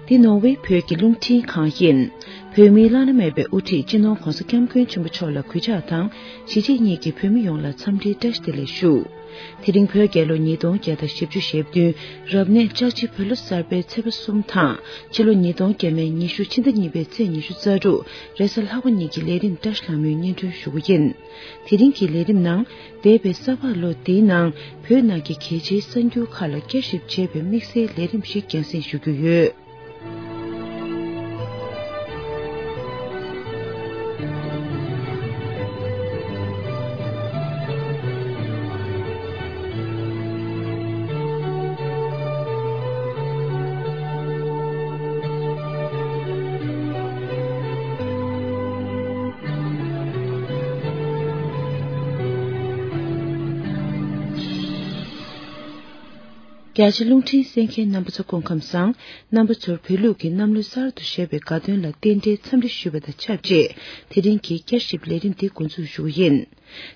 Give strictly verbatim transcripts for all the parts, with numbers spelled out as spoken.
འདི་ནོར་ཝེ་བོད་ཀྱི་རླུང་འཕྲིན་ཁང་ཡིན། བོད་མིའི་བླ་ན་མེད་པའི་དབུ་ཁྲིད་སྤྱི་ནོར་གོང་ས་སྐྱབས་མགོན་ཆེན་པོ་མཆོག་ལ་གུས་ཕྱག་དང་། གཞིས་བྱེས་གཉིས་ཀྱི་བོད་མི་ཡོངས་ལ་འཚམས་འདྲིའི་བཀྲ་ཤིས་བདེ་ལེགས་ཞུ། དེ་རིང་བོད་རྒྱལ་ལོ་ཉིས་སྟོང་བརྒྱ་དང་བཞི་བཅུ་ཞེ་བདུན། རབ་གནས་ལྕགས་བྱི་བོད་ལོ་གསར་པའི་ཚེས་པ་གསུམ་དང་། ཕྱི་ལོ་ཉིས་སྟོང་བརྒྱ་མེད་ཉི་ཤུ་ཕྱི་ཟླ་གཉིས་པའི་ཚེས་ཉི་ཤུ་རྩ་དྲུག་རེས་གཟའ་ལྷག་པ་ཉིན་གྱི་ལས་རིམ་བཀྲ་ཤིས་ལྷ་མོས་སྙན་སྒྲོན་ཞུ་རྒྱུ་ཡིན། དེ་རིང་གི་ལས་རིམ་ནང་། འདས་པའི་ས་ཕག་ལོ་འདིའི་ནང་བོད་ནང་གི་གལ་ཆེའི་གསར་འགྱུར་ཁག་ལ་བསྐྱར་ཞིབ་བྱས་པའི་དམིགས་བསལ་ལས་རིམ་ཞིག་རྒྱང་སྲིང་ཞུ་རྒྱུ་ཡོད། རྒྱ་ཆེ་རླུང་འཕྲིན་གསན་མཁན་རྣམ་པ་ཚོ་སྐུ་ཁམས་བཟང་། རྣམ་པ་ཚོར་བོད་ལུགས་ཀྱི་གནམ་ལོ་གསར་དུ་བཞད་པའི་དགའ་སྟོན་ལ་རྟེན་འབྲེལ་འཚམས་འདྲི་ཞུས་པ་དང་ཆབས་ཅིག་དེ་རིང་གི་བསྐྱར་ཞིབ་ལས་རིམ་འདི་འགོ་འཛུགས་ཞུ་གི་ཡིན།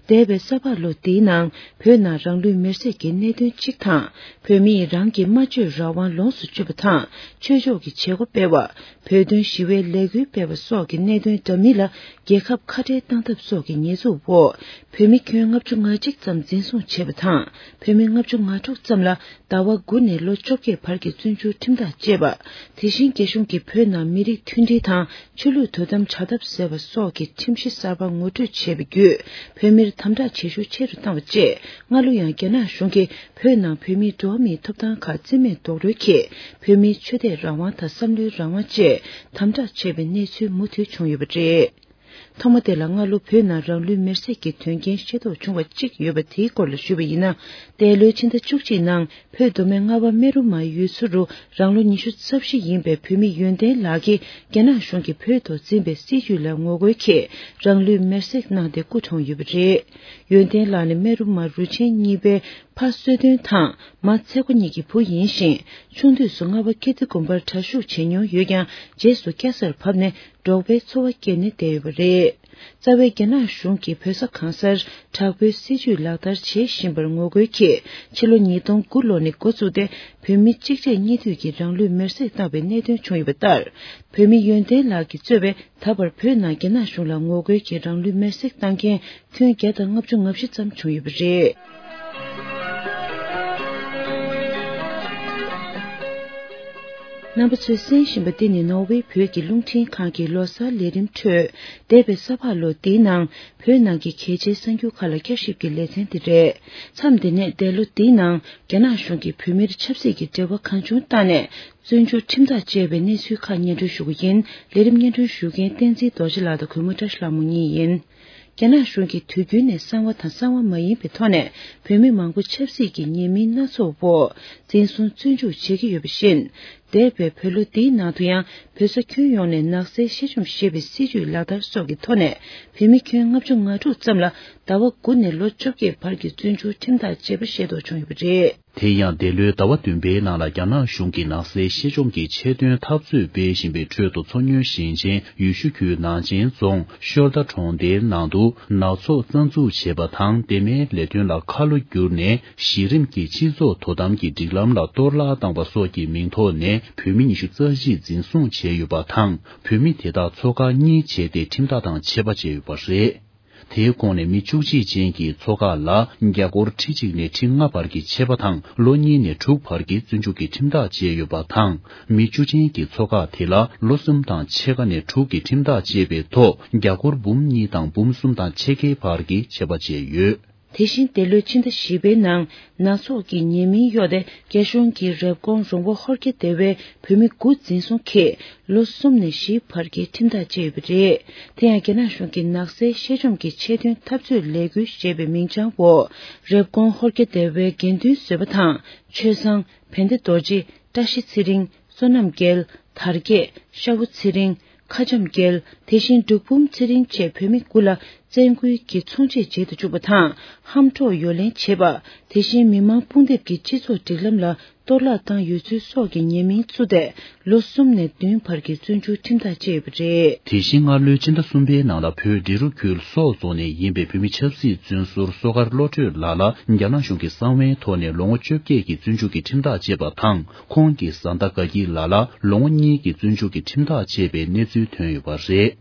འདས་པའི་ས་ཕག་ལོ་འདིའི་ནང་བོད་ནང་རང་ལུས་མེར་སྲེག་གི་གནད་དོན་གཅིག་དང་། བོད་མིས་རང་གི་སྨྲ་བརྗོད་རང་དབང་ལོངས་སུ་སྤྱོད་པ་དང་། ཆོས་ཕྱོགས་ཀྱི་བྱེད་སྒོ་སྤེལ་བ། བོད་དོན་ཞི་བའི་ལས་འགུལ་སྤེལ་བ་སོགས་ཀྱི་གནད་དོན་འདྲ་མིན་ལ་རྒྱལ་ཁབ་ཁ་བྲལ་བཏང་ཐབས་སོགས་ཀྱི་ཉེས་འཛུགས་འོག་བོད་མི་ཁྱོན་ལྔ་བཅུ་ང་གཅིག་ཙམ་འཛིན་བཟུང་བྱས་པ་དང་། བོད་མི་ལྔ་བཅུ་ང་དྲུག་ཙམ་ལ་ཟླ་བ་དགུ་ནས་ལོ་བཅོ་བརྒྱད་བར་གྱི་བཙོན་འཇུག་ཁྲིམས་ཐག་བཅད་པ། དེ་བཞིན་རྒྱ་གཞུང་གིས་བོད་ནང་མི་རིགས་མཐུན་སྒྲིལ་དང་ཆོས་ལུགས་དོ་དམ་བྱ་ཐབས་ཟེར་བ་སོགས་ཀྱི་ཁྲིམས་གཞི་གསར་པ་ངོ་སྤྲོད་བྱས་པ་བརྒྱུད། བོད་མིར་དམ་དྲག་བྱེད་ཤུགས་ཆེ་རུ་བཏང་བ་བཅས། སྔ་ལོ་ཡང་རྒྱ་ནག་གཞུང་གིས་བོད་ནང་བོད་མིའི་འགྲོ་བ་མིའི་ཐོབ་ཐང་ཁག་རྩིས་མེད་རྡོག་རོལ་གྱིས། བོད་མིའི་ཆོས་དད་རང་དབང་དང་བསམ་བློའི་རང་དབང་བཅས་དམ་དྲག་བྱས་པའི་གནས་ཚུལ་མུ་མཐུད་བྱུང་ཡོད་པ་རེད། ཐོག་མ་དེ་ལ་སྔ་ལོ་བོད་ནང་རང་ལུས་མེར་སྲེག་གི་དོན་རྐྱེན་ཤེས་རྟོགས་བྱུང་བ་གཅིག་ཡོད་པ་དེའི་སྐོར་ལ་ཞུས་པ་ཡིན་ན། འདས་ལོའི་ཕྱི་ཟླ་བཅུ་གཅིག་ནང་བོད་མདོ་སྨད་རྔ་བ་སྨན་རུ་མ་ཡུལ་ཚོ་རུ་རང་ལོ་ཉི་ཤུ་རྩ་བཞི་ཡིན་པའི་བོད་མི་ཡོན་ཏན་ལགས་ཀྱིས་རྒྱ་ནག་གཞུང་གིས་བོད་དུ་འཛིན་པའི་སྲིད་བྱུས་ལ་ངོ་རྒོལ་གྱིས་རང་ལུས་མེར་སྲེག་གནང་སྟེ་སྐུ་གྲོངས་ཡོད་པ་རེད། ཡོན་ཏན་ལགས་ནི་སྨན་རུ་མ་རུ་ཆེན་གཉིས་པའི་ཕ་བསོད་སྟོན་དང་མ་ཚེ་མགོ་གཉིས་ཀྱི་བུ་ཡིན་ཞིང་། ཆུང་དུས་སུ་རྔ་བ་ཀིརྟི་དགོན་པར་གྲྭ་ཞུགས་བྱེད་མྱོང་ཡོད་ཀྱང་། རྗེས་སུ་སྐྱ་སར་བབས་ནས་འབྲོག་པའི་འཚོ་བ་སྐྱེལ་ནས་བསྡད་ཡོད་པ་རེད། རྩ་བའི་རྒྱ་ནག་གཞུང་གིས་བོད་ས་གང་སར་དྲག་པོའི་སྲིད་བྱུས་ལག་བསྟར་བྱེད་བཞིན་པར་ངོ་རྒོལ་གྱིས། ཕྱི་ལོ་ཉིས་སྟོང་དགུ་ལོ་ནས་འགོ་བཙུགས་ཏེ། བོད་མི་གཅིག་རྗེས་གཉིས་མཐུད་ཀྱིས་རང་ལུས་མེར་སྲེག་བཏང་བའི་གནད་དོན་བྱུང་ཡོད་པ་ལྟར། བོད་མི་ཡོན་ཏན་ལགས་ཀྱིས་གཙོས་པའི་ད་བར་བོད་ནང་རྒྱ་ནག་གཞུང་ལ་ངོ་རྒོལ་གྱིས་རང་ལུས་མེར་སྲེག་བཏང་མཁན་ཁྱོན་བརྒྱ་དང་ལྔ་བཅུ་ང་བཞི་ཙམ་བྱུང་ཡོད་པ་རེད། རྣམ་པ་ཚོས་གསན་བཞིན་པ་འདི་ནི་ནོར་ཝེ་བོད་ཀྱི་རླུང་འཕྲིན་ཁང་གི་ལོ་གསར་ལས་རིམ་ཁྲོད། འདས་པའི་ས་ཕག་ལོ་འདིའི་ནང་བོད་ནང་གི་གལ་ཆེའི་གསར་འགྱུར་ཁག་ལ་བསྐྱར་ཞིབ་ཀྱི་ལེ་ཚན་འདི་རེད། མཚམས་འདི་ནས་འདས་ལོ་འདིའི་ནང་རྒྱ་ནག་གཞུང་གིས་བོད་མིར་ཆབ་སྲིད་ཀྱི་འབྲེལ་བ་གང་བྱུང་བཏང་ནས། བཙོན་འཇུག་ཁྲིམས་ཐག་བཅད་པའི་གནས་ཚུལ་ཁག་སྙན་སྒྲོན་ཞུ་རྒྱུ་ཡིན། ལས་རིམ་སྙན་སྒྲོན་ཞུ་མཁན་བསྟན་འཛིན་རྡོ་རྗེ་ལགས་དང་གུས་མོ་བཀྲ་ཤིས་ལྷ་མོ་གཉིས་ཡིན། རྒྱ་ནག་གཞུང་གིས་དུས་རྒྱུན་ནས་གསང་བ་དང་གསང་བ་མ་ཡིན་པའི་ཐོག་ནས་བོད་མི་མང་པོ་ཆབ་སྲིད་ཀྱི་ཉེས་མིང་སྣ་ཚོགས་འོག་འཛིན་བཟུང་བཙོན་འཇུག་བྱེད་ཀྱི་ཡོད་པ་བཞིན། འདས་པའི་བོད་ལོ་འདིའི་ནང་དུ་ཡང་བོད་ས་ཁྱོན་ཡོངས་ནས་ནག་སེལ་གཤེད་བཅོམ་ཞེས་པའི་སྲིད་བྱུས་ལག་བསྟར་སོགས་ཀྱི་ཐོག་ནས་བོད་མི་ཁྱོན་ལྔ་བཅུ་ང་དྲུག་ཙམ་ལ་ཟླ་བ་དགུ་ནས་ལོ་བཅོ་བརྒྱད་བར་གྱི་བཙོན་འཇུག་ཁྲིམས་ཐག་བཅད་པ་ཤེས་རྟོགས་བྱུང་ཡོད་པ་རེད། དེ་ཡང་འདས་ལོའི་ཟླ་བ་བདུན་པའི་ནང་ལ་རྒྱ་ནག་གཞུང་གིས་ནག་སེལ་གཤེད་བཅོམ་གྱི་ཆེད་དོན་འཐབ་རྩོད་སྤེལ་བཞིན་པའི་ཁྲོད་དུ། མཚོ་སྔོན་ཞིང་ཆེན་ཡུལ་ཤུལ་ཁུལ་ནང་ཆེན་རྫོང་ཤོར་རྡ་གྲོང་རྡལ་ནང་དུ་ནག་ཚོགས་རྩ་འཛུགས་བྱས་པ་དང་། དེ་མིན་ལས་དོན་ལ་ཁ་ལོ་བསྒྱུར་ནས་གཞི་རིམ་གྱི་སྤྱི་ཚོགས་དོ་དམ་གྱི་སྒྲིག་ལམ་ལ་གཏོར་བརླག་བཏང་བ་སོགས་ཀྱི་མིང་ཐོག་ནས་བོད་མི་ཉི་ཤུ་རྩ་བཞི་འཛིན་བཟུང་བྱས་ཡོད་པ་དང་། བོད་མི་དེ་དག་ཚོགས་ཁག་གཉིས་བྱས་ཏེ་ཁྲིམས་ཐག་དང་ཆད་པ་བཅད་ཡོད་པ་རེད། དེའི་ཁོངས་ནས་མི་བཅུ་གཅིག་ཅན་གྱི་ཚོགས་ཁག་ལ་རྒྱ་སྒོར་ཁྲི་གཅིག་ནས་ཁྲི་ལྔ་བར་གྱི་ཆད་པ་དང་། ལོ་གཉིས་ནས་དྲུག་བར་གྱི་བཙོན་འཇུག་གི་ཁྲིམས་ཐག་བཅད་ཡོད་པ་དང་། མི་བཅུ་ཅན་གྱི་ཚོགས་ཁག་དེ་ལ་ལོ་གསུམ་དང་ཕྱེད་ཀ་ནས་དྲུག་གི་ཁྲིམས་ཐག་བཅད་པའི་ཐོག་རྒྱ་སྒོར་འབུམ་གཉིས་དང་འབུམ་གསུམ་དང་ཕྱེད་ཀའི་བར་གྱི་ཆད་པ་བཅད་ཡོད། དེ་བཞིན་འདས་ལོའི་ཕྱི་ཟླ་བཞི་པའི་ནང་ནག་ཚོགས་ཀྱི་ཉེས་མིང་གཡོགས་ཏེ། རྒྱ་གཞུང་གིས་རེབ་གོང་རོང་བོ་ཧོར་རྒྱ་སྡེ་བའི་བོད་མི་དགུ་འཛིན་བཟུང་གིས། ལོ་གསུམ་ནས་བཞི་བར་གྱི་ཁྲིམས་ཐག་བཅད་ཡོད་པ་རེད། དེ་ཡང་རྒྱ་ནག་གཞུང་གིས་ནག་སེལ་གཤེད་བཅོམ་གྱི་ཆེད་དོན་འཐབ་རྩོད་ལས་འགུལ་ཞེས་པའི་མིང་བྱང་འོག་རེབ་གོང་ཧོར་རྒྱ་སྡེ་བའི་དགེ་འདུན་བཟོད་པ་དང་། ཆོས་བཟང་། བན་དེ་རྡོ་རྗེ། བཀྲ་ཤིས་ཚེ་རིང་། བསོད་ནམས་རྒྱལ། དར་རྒྱས། ཤ་བོ་ཚེ་རིང་། ཁ་འཇམ་རྒྱལ། དེ་བཞིན་འབྲུག་འབུམ་ཚེ་རིང་བཅས་བོད་མི་དགུ་ལ་ བཙན་རྒོལ་གྱི་ཚོང་རྗེས་བརྗེད་དུ་བཅུག་པ་དང་། ཧམ་འཕྲོག་གཡོ་ལེན་བྱེད་པ། དེ་བཞིན་མི་མང་དཔུང་འདེབས་ཀྱིས་སྤྱི་ཚོགས་སྒྲིག་ལམ་ལ་གཏོར་བརླག་བཏང་ཡོད་ཚུལ་སོགས་ཀྱི་ཉེས་མིང་བཙུགས་ཏེ། ལོ་གསུམ་ནས་བདུན་བར་གྱི་བཙོན་འཇུག་ཁྲིམས་ཐག་བཅད་ཡོད་པ་རེད། དེ་བཞིན་སྔ་ལོའི་ཕྱི་ཟླ་གསུམ་པའི་ནང་ལ། བོད་འབྲི་རུ་ཁུལ་སོག་རྫོང་ནས་ཡིན་པའི་བོད་མི་ཆབ་སྲིད་བཙོན་ཟུར་བསོད་དཀར་བློ་གྲོས་ལགས་ལ་རྒྱ་ནག་གཞུང་གིས་གསང་བའི་ཐོག་ནས་ལོ་ངོ་བཅོ་བརྒྱད་ཀྱི་བཙོན་འཇུག་གི་ཁྲིམས་ཐག་བཅད་པ་དང་། ཁོང་གི་བཟའ་ཟླ་དགའ་སྐྱིད་ལགས་ལ་ལོ་ངོ་གཉིས་ཀྱི་བཙོན་འཇུག་གི་ཁྲིམས་ཐག་བཅད་པའི་གནས་ཚུལ་ཐོན་ཡོད་པ་རེད།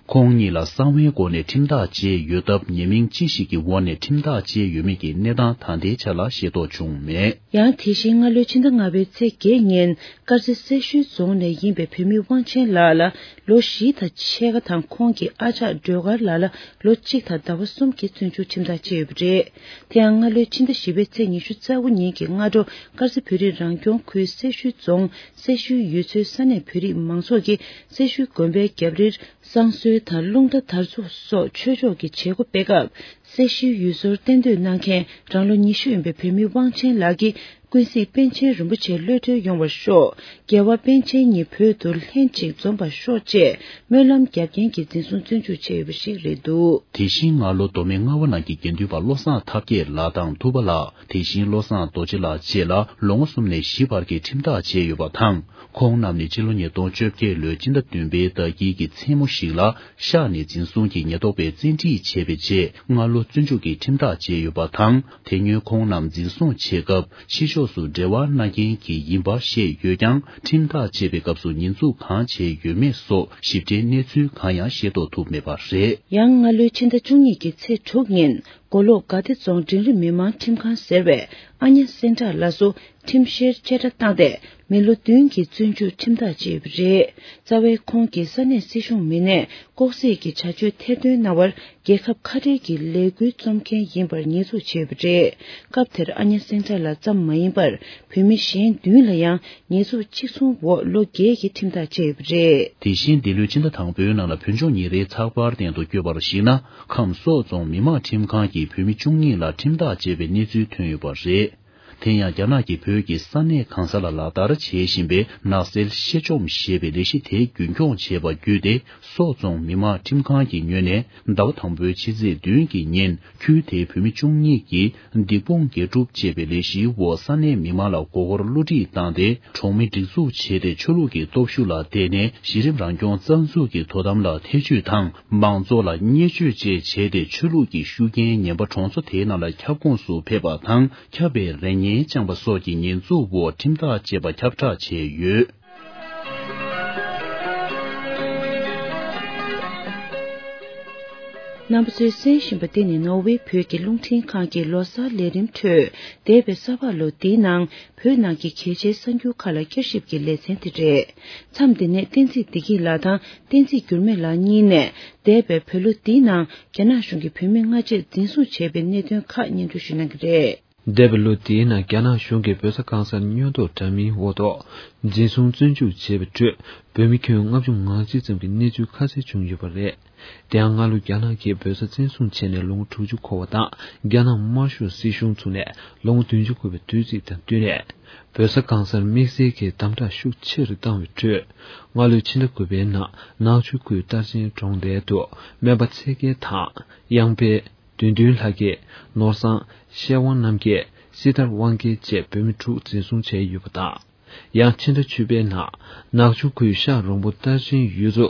ཁོང་གཉིས་ལ་གསང་བའི་སྒོ་ནས་ཁྲིམས་ཐག་བཅད་ཡོད་སྟབས། ཉེས་མིང་ཅི་ཞིག་གི་འོག་ནས་ཁྲིམས་ཐག་བཅད་ཡོད་མེད་ཀྱི་གནས་སྟངས་ད་ལྟའི་ཆ་ལ་ཤེས་རྟོགས་བྱུང་མེད། ཡང་དེ་བཞིན་སྔ་ལོའི་ཕྱི་ཟླ་ལྔ་པའི་ཚེས་བརྒྱད་ཉིན། དཀར་མཛེས་སེར་ཤུལ་རྫོང་ནས་ཡིན་པའི་བོད་མི་དབང་ཆེན་ལགས་ལ་ལོ་བཞི་དང་ཕྱེད་ཀ་དང་། ཁོང་གི་ཨ་ཅག་སྒྲོལ་དཀར་ལགས་ལ་ལོ་གཅིག་དང་ཟླ་བ་གསུམ་གྱི་བཙོན་འཇུག་ཁྲིམས་ཐག་བཅད་ཡོད་པ་རེད། དེ་ཡང་སྔ་ལོའི་ཕྱི་ཟླ་བཞི་པའི་ཚེས་ཉི་ཤུ་རྩ་དགུ་ཉིན་གྱི་སྔ་དྲོ། དཀར་མཛེས་བོད་རིགས་རང་སྐྱོང་ཁུལ་སེར་ཤུལ་རྫོང་སེར་ཤུལ་ཡུལ་ཚོའི་ས་གནས་བོད་རིགས་མང་ཚོགས་ཀྱིས་སེར་ཤུལ་དགོན་པའི་རྒྱབ་རིར། བསང་གསོལ་དང་རླུང་རྟ་དར་ཚུགས་སོགས་ཆོས་ཕྱོགས་ཀྱི་བྱེད་སྒོ་སྤེལ་སྐབས། སེར་ཤུལ་ཡུལ་ཚོར་གཏན་སྡོད་གནང་མཁན་རང་ལོ་ཉི་ཤུ་ཡིན་པའི་བོད་མི་དབང་ཆེན་ལགས་ཀྱིས། ཀུན་གཟིགས་པཎ་ཆེན་རིན་པོ་ཆེ་གློད་གྲོལ་ཡོང་བར་ཤོག་རྒྱལ་བ་པཎ་ཆེན་ཉིད་བོད་དུ་ལྷན་ཅིག་འཛོམས་པར་ཤོག་ཅེས་སྨོན་ལམ་རྒྱབ་མཁན་གྱི་འཛིན་བཟུང་བཙོན་འཇུག་བྱས་ཡོད་པ་ཞིག་རེད་འདུག་དེ་བཞིན་སྔ་ལོ་མདོ་སྨད་རྔ་བ་ནང་གི་དགེ་འདུན་པ་བློ་བཟང་ཐབས་མཁས་ལགས་དང་ཐུབ་པ་ལགས། དེ་བཞིན་བློ་བཟང་རྡོ་རྗེ་ལགས་བཅས་ལ་ལོ་ངོ་གསུམ་ནས་བཞི་བར་གྱི་ཁྲིམས་ཐག་བཅད་ཡོད་པ་དང་། ཁོང་རྣམས་ནི་ཕྱི་ལོ་ཉིས་སྟོང་བཅོ་བརྒྱད་ལོའི་སྤྱི་ཟླ་བདུན་པའི་ཟླ་དཀྱིལ་གྱི་མཚན་མོ་ཞིག་ལ་གཤགས་ནས་འཛིན་བཟུང་གིས་ཉེན་རྟོག་པས་བཙན་ཁྲིད་བྱས་པའི་རྗེས། སྔ་ལོ་བཙོན་འཇུག་གི་ཁྲིམས་ཐག་བཅད་ཡོད་པ་དང་། དེ་སྔོན་ཁོང་རྣམས་འཛིན་བཟུང་བྱེད་སྐབས་ཕྱི་ཕྱོགས་སུ་འབྲེལ་བ་གནང་མཁན་གྱི་ཡིན་པ་བཤད་ཡོད་ཀྱང་། ཁྲིམས་ཐག་བཅད་པའི་སྐབས་སུ་ཉེས་འཛུགས་གང་བྱས་ཡོད་མེད་སོགས་ཞིབ་ཕྲའི་གནས་ཚུལ་གང་ཡང་ཤེས་རྟོགས་ཐུབ་མེད་པ་རེད། ཡང་སྔ་ལོའི་ཕྱི་ཟླ་བཅུ་གཉིས་ཀྱི་ཚེས་དྲུག་ཉིན། མགོ་ལོག་དགའ་བདེ་རྫོང་འབྲིང་རིམ་མི་དམངས་ཁྲིམས་ཁང་ཟེར་བའི་ཨ་ཉ་སེང་བྲག་ལགས་སུ་ཁྲིམས་བཤེར་བཅད་ཁྲ་བཏང་སྟེ། མི་ལོ་བདུན་གྱི་བཙོན་འཇུག་ཁྲིམས་ཐག་བཅད་ཡོད་པ་རེད། རྩ་བའི་ཁོང་གིས་ས་གནས་སྲིད་གཞུང་མི་སྣས་ལྐོག་ཟ་གྱི་བྱ་སྤྱོད་ཐེར་འདོན་གནང་བར། རྒྱལ་ཁབ་ཁ་བྲལ་གྱི་ལས་འགུལ་རྩོམ་མཁན་ཡིན་པར་ཉེས་འཛུགས་བྱས་ཡོད་པ་རེད། སྐབས་དེར་ཨ་ཉ་སེང་བྲག་ལགས་ཙམ་མ་ཡིན་པར། བོད་མི་གཞན་བདུན་ལ་ཡང་ཉེས་འཛུགས་གཅིག་མཚུངས་འོག་ལོ་བརྒྱད་ཀྱི་ཁྲིམས་ཐག་བཅད་ཡོད་པ་རེད། དེ་བཞིན་འདི་ལོའི་ཕྱི་ཟླ་དང་པོའི་ནང་ལ་བོད་ལྗོངས་ཉིན་རེའི་ཚགས་པར་སྟེང་དུ་བཀོད་པར་གཞིགས་ན། ཁམས་སོག་རྫོང་མི་དམངས་ཁྲིམས་ཁང་གིས་བོད་མི་བཅུ་གཉིས་ལ་ཁྲིམས་ཐག་བཅད་པའི་གནས་ཚུལ་ཐོན་ཡོད་པ་རེད། དེ་ཡང་རྒྱ་ནག་གིས་བོད་ཀྱི་ས་གནས་གང་ས་ལ་ལག་བསྟར་བྱེད་བཞིན་པའི་ནག་སེལ་གཤེད་བཅོམ་ཞེས་པའི་ལས་གཞི་དེ་རྒྱུན་འཁྱོངས་བྱས་པ་བརྒྱུད་དེ། སོག་རྫོང་མི་དམངས་ཁྲིམས་ཁང་གི་ངོས་ནས་ཟླ་བ་དང་པོའི་ཕྱི་ཚེས་བདུན་གྱི་ཉིན། ཁུལ་དེའི་བོད་མི་བཅུ་གཉིས་ཀྱིས་སྡིག་སྤོང་དགེ་སྒྲུབ་ཅེས་པའི་ལས་གཞིའི་འོག་ས་གནས་མི་མང་ལ་མགོ་སྐོར་བསླུ་བྲིད་བཏང་སྟེ། གྲོང་མི་སྒྲིག་འཛུགས་བྱས་ཏེ། ཆོས་ལུགས་ཀྱི་སྟོབས་ཤུགས་ལ་བརྟེན་ནས་གཞི་རིམ་རང་སྐྱོང་རྩ་འཛུགས་ཀྱི་དོ་དམ་ལ་ཐེ་བྱུས་དང་། མང་ཚོགས་ལ་བརྙས་བཅོས་བཅས་བྱས་ཏེ། ཆོས་ལུགས་ཀྱི་ཤུགས་རྐྱེན་ངན་པ་གྲོང་ཚོ་དེའི་ནང་ལ་ཁྱབ་ཁོངས་སུ་ཕེབས་པ་དང་། ཁྱབ་པའི་རེ་ངན་བཅངས་པ་སོགས་ཀྱི་ཉེས་འཛུགས་འོག་ཁྲིམས་ཐག་བཅད་པ་ཁྱབ་བསྒྲགས་བྱས་ཡོད། རྣམ་པ་ཚོས་གསན་བཞིན་པ་འདི་ནི་ནོར་ཝེ་བོད་ཀྱི་རླུང་འཕྲིན་ཁང་གི་ལོ་གསར་ལས་རིམ་ཁྲོད། འདས་པའི་ས་ཕག་ལོ་འདིའི་ནང་བོད་ནང་གི་གལ་ཆེའི་གསར་འགྱུར་ཁག་ལ་བསྐྱར་ཞིབ་ཀྱི་ལེ་ཚན་དེ་རེད། མཚམས་འདི་ནས་བསྟན་འཛིན་བདེ་སྐྱིད་ལགས་དང་བསྟན་འཛིན་འགྱུར་མེད་ལགས་གཉིས་ནས། འདས་པའི་བོད་ལོ་འདིའི་ནང་རྒྱ་ནག་གཞུང་གིས་བོད་མི་སྔ་རྗེས་འཛིན་བཟུང་བྱས་པའི་གནད་དོན་ཁག་སྙན་སྒྲོན་ཞུ་གནང་གི་རེད། འདས་པའི་ལོ་འདིའི་ནང་རྒྱ་ནག་གཞུང་གིས་བོད་ས་གང་སར་སྔོན་ཐོག་འདྲ་མིན་འོག་ཐོག་འཛིན་བཟུང་བཙོན་འཇུག་བྱས་པའི་ཁྲོད། བོད་མི་ཁྱོན་ལྔ་བཅུ་ང་གཅིག་ཙམ་གྱི་གནས་ཚུལ་ཁ་གསལ་བྱུང་ཡོད་པ་རེད། དེ་ཡང་སྔ་ལོ་རྒྱ་ནག་གིས་བོད་ས་བཙན་བཟུང་བྱས་ནས་ལོ་ངོ་དྲུག་ཅུ་འཁོར་བ་དང་། རྒྱ་ནག་དམར་ཤོག་སྲིད་གཞུང་ཚུགས་ནས་ལོ་ངོ་བདུན་ཅུ་འཁོར་བའི་དུས་ཚིགས་དང་བསྟུན་ནས། བོད་ས་གང་སར་དམིགས་བསལ་གྱི་དམ་དྲག་ཤུགས་ཆེ་རུ་བཏང་བའི་ཁྲོད། སྔ་ལོའི་ཕྱི་ཟླ་དགུ་པའི་ནང་ནག་ཆུ་ཁུལ་རྟར་ཆེན་གྲོང་རྡལ་དུ་སྨན་པ་ཚེ་རྒྱལ་དང་། གཡང་འཕེལ། བདུད་འདུལ་ལྷ་སྐྱིད། ནོར་བཟང་། ཤེར་དབང་རྣམ་རྒྱལ། སྲི་ཐར་དབང་རྒྱལ་བཅས་བོད་མི་དྲུག་འཛིན་བཟུང་བྱས་ཡོད་པ་དང་། ཡང་ཕྱི་ཟླ་བཅུ་པའི་ནང་ནག་ཆུ་ཁུལ་ཤག་རོང་པོ་རྟར་ཆེན་ཡུལ་ཚོ་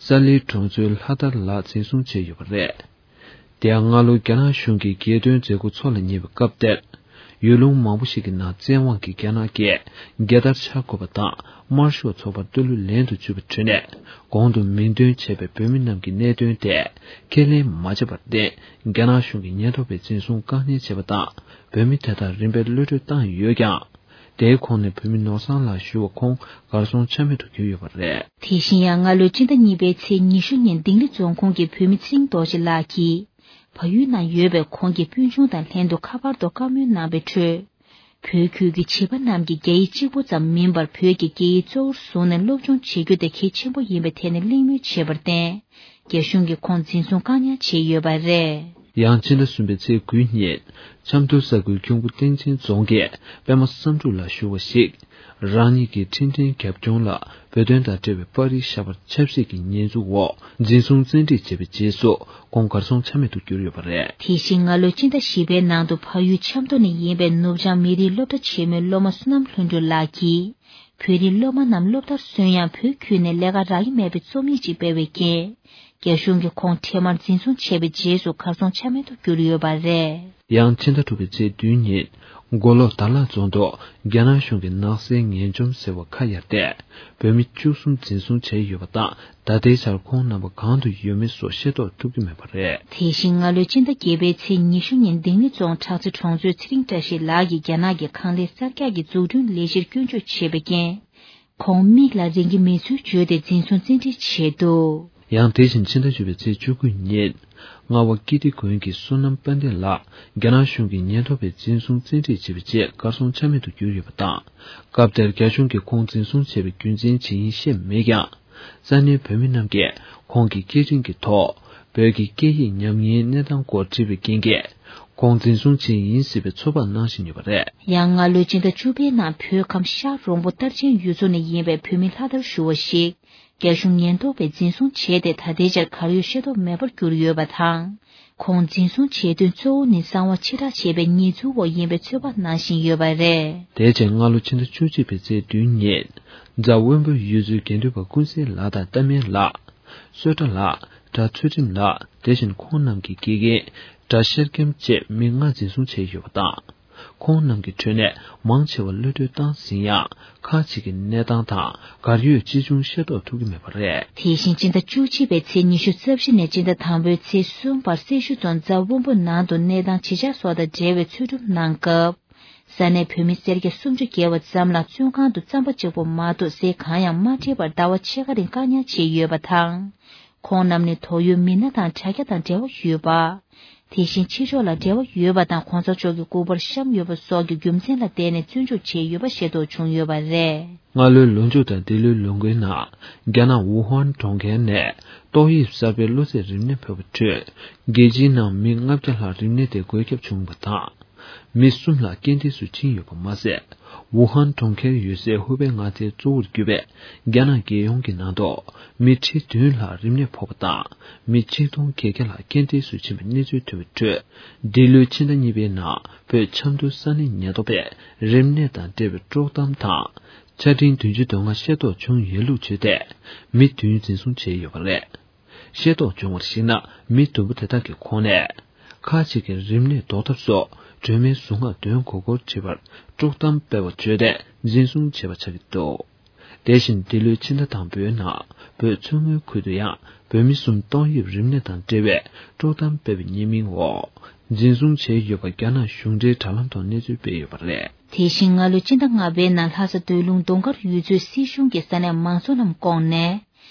ས་ལིའི་གྲོང་ཚོའི་ལྷ་དར་ལགས་འཛིན་བཟུང་བྱས་ཡོད་པ་རེད། དེ་ཡང་སྔ་ལོ་རྒྱ་ནག་གཞུང་གིས་རྒྱལ་སྟོན་མཛད་སྒོ་འཚོགས་ལ་ཉེ་བའི་སྐབས་དེར། ཡུལ་ལུང་མང་པོ་ཞིག་གི་ནང་བཙན་དབང་གིས་རྒྱ་ནག་གིས་རྒྱལ་དར་འཕྱར་དགོས་པ་དང་། དམར་ཤོག་ཚོགས་པར་བསྟོད་གླུ་ལེན་དུ་བཅུག་པའི་ཁྲོད་ནས། གོང་དུ་མིང་འདོན་བྱས་པའི་བོད་མི་རྣམས་ཀྱི་གནད་དོན་དེ་ཁས་ལེན་མ་བྱས་པར་བརྟེན། རྒྱ་ནག་གཞུང་གིས་ཉེན་རྟོག་པས་འཛིན་བཟུང་བཀག་ཉར་བྱས་པ་དང་། བོད་མི་དེ་དག་རིམ་པས་གློད་གྲོལ་བཏང་ཡོད་ཀྱང་། དེའི་ཁོངས་ནས་བོད་མི་ནོར་བཟང་ལགས་ཞུ་བ་ཁོང་གར་སོང་ཆ་མེད་དུ་གྱུར་ཡོད་པ་རེད། དེ་བཞིན་ཡང་སྔ་ལོའི་ཕྱི་ཟླ་གཉིས་པའི་ཚེས་ཉི་ཤུ་ཉིན་ལྡིང་རི་རྫོང་ཁོངས་ཀྱི་བོད་མི་ཚེ་རིང་རྡོ་རྗེ་ལགས་ཀྱིས། བལ་ཡུལ་ནང་ཡོད་པའི་ཁོང་གི་སྤུན་ཆུང་དང་ལྷན་དུ་ཁ་པར་ཐོག་བཀའ་མོལ་གནང་བའི་ཁྲོད། བོད་ཁུལ་གྱི་བྱིས་པ་རྣམས་ཀྱིས་རྒྱ་ཡིག་གཅིག་པོ་ཙམ་མིན་པར་བོད་ཀྱི་སྐད་ཡིག་གཙོ་བོར་བཟུང་ནས་སློབ་སྦྱོང་བྱེད་རྒྱུ་དེ་གལ་ཆེན་པོ་ཡིན་པའི་ཐད་ནས་གླེང་མོལ་བྱས་པར་བརྟེན། རྒྱ་གཞུང་གིས་ཁོང་འཛིན་བཟུང་བཀག་ཉར་བྱས་ཡོད་པ་རེད། ཡང་ཕྱི་ཟླ་གསུམ་པའི་ཚེས་དགུའི་ཉིན། ཆབ་མདོ་ས་ཁུལ་ཁྱུང་པོ་སྟེང་ཆེན་རྫོང་གི་པད་མ་བསམ་འགྲུབ་ལགས་ཞུ་བ་ཞིག་རང་ཉིད་ཀྱི་འཕྲིན་ཕྲན་རྒྱབ་ལྗོངས་ལ་བོད་དོན་དང་འབྲེལ་བའི་པར་རིས་བཞག་པར་ཆབ་སྲིད་ཀྱི་ཉེས་འཛུགས་འོག་འཛིན་བཟུང་བཙན་ཁྲིད་བྱས་པའི་རྗེས་སུ་ཁོང་གར་སོང་ཆ་མེད་དུ་གྱུར་ཡོད་པ་རེད། དེ་བཞིན་སྔ་ལོའི་སྤྱི་ཟླ་བཞི་པའི་ནང་དུ་ཕ་ཡུལ་ཆབ་མདོ་ནས་ཡིན་པའི་ནུབ་བྱང་མི་རིགས་སློབ་གྲྭ་ཆེན་མོའི་སློབ་མ་བསོད་ནམས་ལྷུན་གྲུབ་ལགས་ཀྱིས། བོད་རིགས་སློབ་མ་རྣམས་སློབ་མཐར་སོན་ཡང་བོད་ཁུལ་ནས་ལས་ཀ་རག་གི་མེད་པའི་རྩོམ་ཡིག་ཅིག་སྤེལ་བའི་རྐྱེན། རྒྱ་གཞུང་གིས་ཁོང་འཕྲལ་མར་འཛིན་བཟུང་བྱས་པའི་རྗེས་སུ་གར་སོང་ཆ་མེད་དུ་གྱུར་ཡོད་པ་རེད། ཡང་ཕྱི་ཟླ་དྲུག་པའི་ཚེས་བདུན་ཉིན། མགོ་ལོག་དར་ལག་རྫོང་དུ་རྒྱ་ནག་གཞུང་གིས་ནག་སེལ་ངན་བཅོམ་ཟེར་བ་ཁ་གཡར་ཏེ། བོད་མི་བཅུ་གསུམ་འཛིན་བཟུང་བྱས་ཡོད་པ་དང་། ད་ལྟའི་ཆར་ཁོང་རྣམ་པ་གང་དུ་ཡོད་མེད་སོགས་ཤེས་རྟོགས་ཐུབ་ཀྱི་མེད་པ་རེད། དེ་བཞིན་སྔ་ལོའི་སྤྱི་ཟླ་བརྒྱད་པའི་ཚེས་ཉི་ཤུ་ཉིན་ལྡིང་མི་རྫོང་བྲག་རྩེ་གྲོང་ཚོའི་ཚེ་རིང་བཀྲ་ཤིས་ལགས་ཀྱིས་རྒྱ་ནག་གི་ཁང་ལས་གསར་རྒྱག་གི་འཛུགས་སྐྲུན་ལས་གཞིར་སྐྱོན་བརྗོད་བྱས་པའི་རྐྱེན། ཁོང་མིག་ལ་རིང་གི་མེད་ཚུལ་བརྗོད་དེ་འཛིན་བཟུང་བཙན་ཁྲིད་བྱས་འདུག། ཡང་དེ་བཞིན་ཕྱི་ཟླ་བཅུ་པའི་ཚེས་བཅུ་དགུ་ཉིན། རྔ་བ་ཀིརྟི་དགོན་གྱི་བསོད་ནམས་དཔལ་ལྡན་ལགས་རྒྱ་ནག་གཞུང་གིས་ཉེན་རྟོག་པས་འཛིན་བཟུང་བཙན་ཁྲིད་བྱས་པའི་རྗེས་གར་སོང་ཆ་མེད་དུ་གྱུར་ཡོད་པ་དང་། སྐབས་དེར་རྒྱ་གཞུང་གིས་ཁོང་འཛིན་བཟུང་བྱས་པའི་རྒྱུ་མཚན་ཇི་ཡིན་ཤེས་མེད་ཀྱང་། ས་གནས་བོད་མི་རྣམས་ཀྱིས་ཁོང་གི་སྐད་འཕྲིན་གྱི་ཐོག་བོད་ཀྱི་སྐད་ཡིག་ཉམས་ཉེན་གནས་སྟངས་སྐོར་དྲིས་པའི་རྐྱེན་གྱིས། ཁོང་འཛིན་བཟུང་བྱས་ཡིན་སྲིད་པའི་ཚོད་དཔག་གནང་བཞིན་ཡོད་པ་རེད། ཡང་སྔ་ལོའི་སྤྱི་ཟླ་བཅུ་པའི་ནང་བོད་ཁམས་ཤར་རོང་པོ་རྟར་ཆེན་ཡུལ་ཚོ་ནས་ཡིན་པའི་བོད་མི་ལྷ་དར་ཞུ་བ་ཞིག་རྒྱ་གཞུང་ཉེན་རྟོག་པས་འཛིན་བཟུང་བྱས་ཏེ་ད་ལྟའི་ཆར་གར་ཡོད་ཤེས་རྟོགས་མེད་པར་གྱུར་ཡོད་པ་དང་། ཁོང་འཛིན་བཟུང་བྱེད་དོན་གཙོ་བོ་ནི་གསང་བ་ཕྱིར་བསྒྲགས་བྱས་པའི་ཉེས་འཛུགས་འོག་ཡིན་པའི་ཚོད་དཔག་གནང་བཞིན་ཡོད་པ་རེད། དེ་རྗེས་སྔ་ལོ་ཕྱི་ཟླ་བཅུ་གཅིག་པའི་ཚེས་བདུན་ཉིན། རྫ་དབོན་པོ་ཡུལ་ཚོའི་དགེ་འདུན་པ་ཀུན་གསལ་ལགས་དང་རྟ་སྨན་ལགས། བསོད་གྲྭ་ལགས། གྲྭ་ཚུལ་ཁྲིམས་ལགས། དེ་བཞིན་ཁོང་རྣམས་ཀྱི་དགེ་རྒན་གྲྭ་ཤེར་མཁན་བཅས་མི་ལྔ་འཛིན་བཟུང་བྱས་ཡོད་པ་དང་། ཁོང་རྣམས་ཀྱི་ཁྲོད་ནས་མང་ཆེ་བ་གློད་གྲོལ་བཏང་ཟིན་ཡང་། ཁག་ཅིག་གི་གནས་སྟངས་དང་གར་ཡོད་ཅི་བྱུང་ཤེས་རྟོགས་ཐུབ་ཀྱི་མེད་པ་རེད། དེ་བཞིན་སྤྱི་ཟླ་བཅུ་གཅིག་པའི་ཚེས་ཉི་ཤུ་རྩ་བཞི་ནས་སྤྱི་ཟླ་དང་པོའི་ཚེས་གསུམ་བར་སེར་ཤུལ་རྫོང་རྫ་དབོན་པོ་ནང་དུ་གནས་སྟངས་ཇི་ཆགས་སོགས་དང་འབྲེལ་བའི་འཚོལ་སྒྲུབ་གནང་སྐབས། ས་གནས་བོད་མི་སེར་སྐྱ་སུམ་ཅུ་བརྒལ་བ་ཙམ་ལ་བཙོན་ཁང་དུ་རྩམ་པ་གཅིག་པོ་མ་གཏོགས་ཟས་གང་ཡང་མ་སྤྲད་པར་ཟླ་བ་ཕྱེད་ཀ་རིང་བཀག་ཉར་བྱས་ཡོད་པ་དང་། ཁོང་རྣམས་ནི་དོགས་ཡོད་མི་སྣ་དང་དྲ་རྒྱ་དང་འབྲེལ་བ་ཡོད་པ། དེ་བཞིན་ཕྱི་ཕྱོགས་ལ་འབྲེལ་བ་ཡོད་པ་དང་གོང་ས་མཆོག་གི་སྐུ་པར་བཤམས་ཡོད་པ་སོགས་ཀྱི་རྒྱུ་མཚན་ལ་བརྟེན་ནས་བཙོན་འཇུག་བྱས་ཡོད་པ་ཤེས་རྟོགས་བྱུང་ཡོད་པ་རེད། སྔ་ལོའི་ལོ་མཇུག་དང་འདི་ལོའི་ལོ་འགོའི་ནང་རྒྱ་ནག་ཝུ་ཧན་གྲོང་ཁྱེར་ནས་ཏོག་དབྱིབས་གསར་པའི་གློ་ཚད་རིམས་ནད་ཕོག་པའི་ཁྲོད། རྒྱལ་སྤྱིའི་ནང་མི་ལྔ་བརྒྱ་ལྷག་རིམས་ནད་དེ་འགོས་ཁྱབ་བྱུང་བ་དང་། མི་གསུམ་ལྷག་རྐྱེན་འདས་སུ་ཕྱིན་ཡོད་པ་མ་ཟད། ཝུ་ཧན་གྲོང་ཁྱེར་ཡོད་སའི་ཧུ་པེ་མངའ་སྡེའི་གཙོ་བོར་གྱུར་པའི་རྒྱ་ནག་རྒྱལ་ཡོངས་ཀྱི་ནང་དུ་མི་ཁྲི་བདུན་ལྷག་རིམས་ནད་ཕོག་པ་དང་། མི་ཆིག་སྟོང་བརྒྱད་བརྒྱ་ལྷག་རྐྱེན་འདས་སུ་ཕྱིན་པའི་གནས་ཚུལ་ཐོན་པའི་ཁྲོད། འདི་ལོའི་ཕྱི་ཟླ་གཉིས་པའི་ནང་བོད་ཆབ་མདོའི་ས་གནས་ཉེན་རྟོག་པས་རིམས་ནད་དང་འབྲེལ་བའི་དཀྲོག་གཏམ་དང་། ཆ་འཕྲིན་བདུན་ཅུ་དོན་ལྔ་ཤེས་རྟོགས་བྱུང་ཡོད་ལུགས་བརྗོད་དེ། མི་བདུན་འཛིན་བཟུང་བྱས་ཡོད་པ་རེད། ཤེས་རྟོགས་བྱུང་བར་གཞིགས་ན། མི་བདུན་པོ་དེ་དག་གི་ཁོངས་ནས། ཁག་ཅིག་གིས་རིམས་ནད་ཟློག་ཐབས་སོགས་སྒྲོལ་མའི་གཟུངས་སྔགས་འདོན་དགོས་སྐོར་དྲིས་པར། དཀྲོག་གཏམ་སྤེལ་བ་བརྗོད་དེ་འཛིན་བཟུང་བྱས་པ་ཆགས་ཀྱི་འདུག། དེ་བཞིན་འདི་ལོའི་ཕྱི་ཟླ་དང་པོའི་ནང་བོད་མཚོ་སྔོན་ཁུལ་དུ་ཡང་བོད་མི་གསུམ་ཏོག་དབྱིབས་རིམས་ནད་དང་འབྲེལ་བའི་དཀྲོག་གཏམ་སྤེལ་བའི་ཉེས་མིང་འོག་འཛིན་བཟུང་བྱས་ཡོད་པ་རྒྱ་ནག་གཞུང་འབྲེལ་དྲ་ལམ་ཐོག་གནས་ཚུལ་སྤེལ་ཡོད་པ་རེད། དེ་བཞིན་སྔ་ལོའི་ཕྱི་ཟླ་ལྔ་པའི་ནང་ལྷ་ས་སྡོད་ལུང་གདོང་དཀར་ཡུལ་ཚོའི་སྲིད་གཞུང་གིས་ས་གནས་མང་ཚོགས་རྣམས་བསྐོངས་ནས།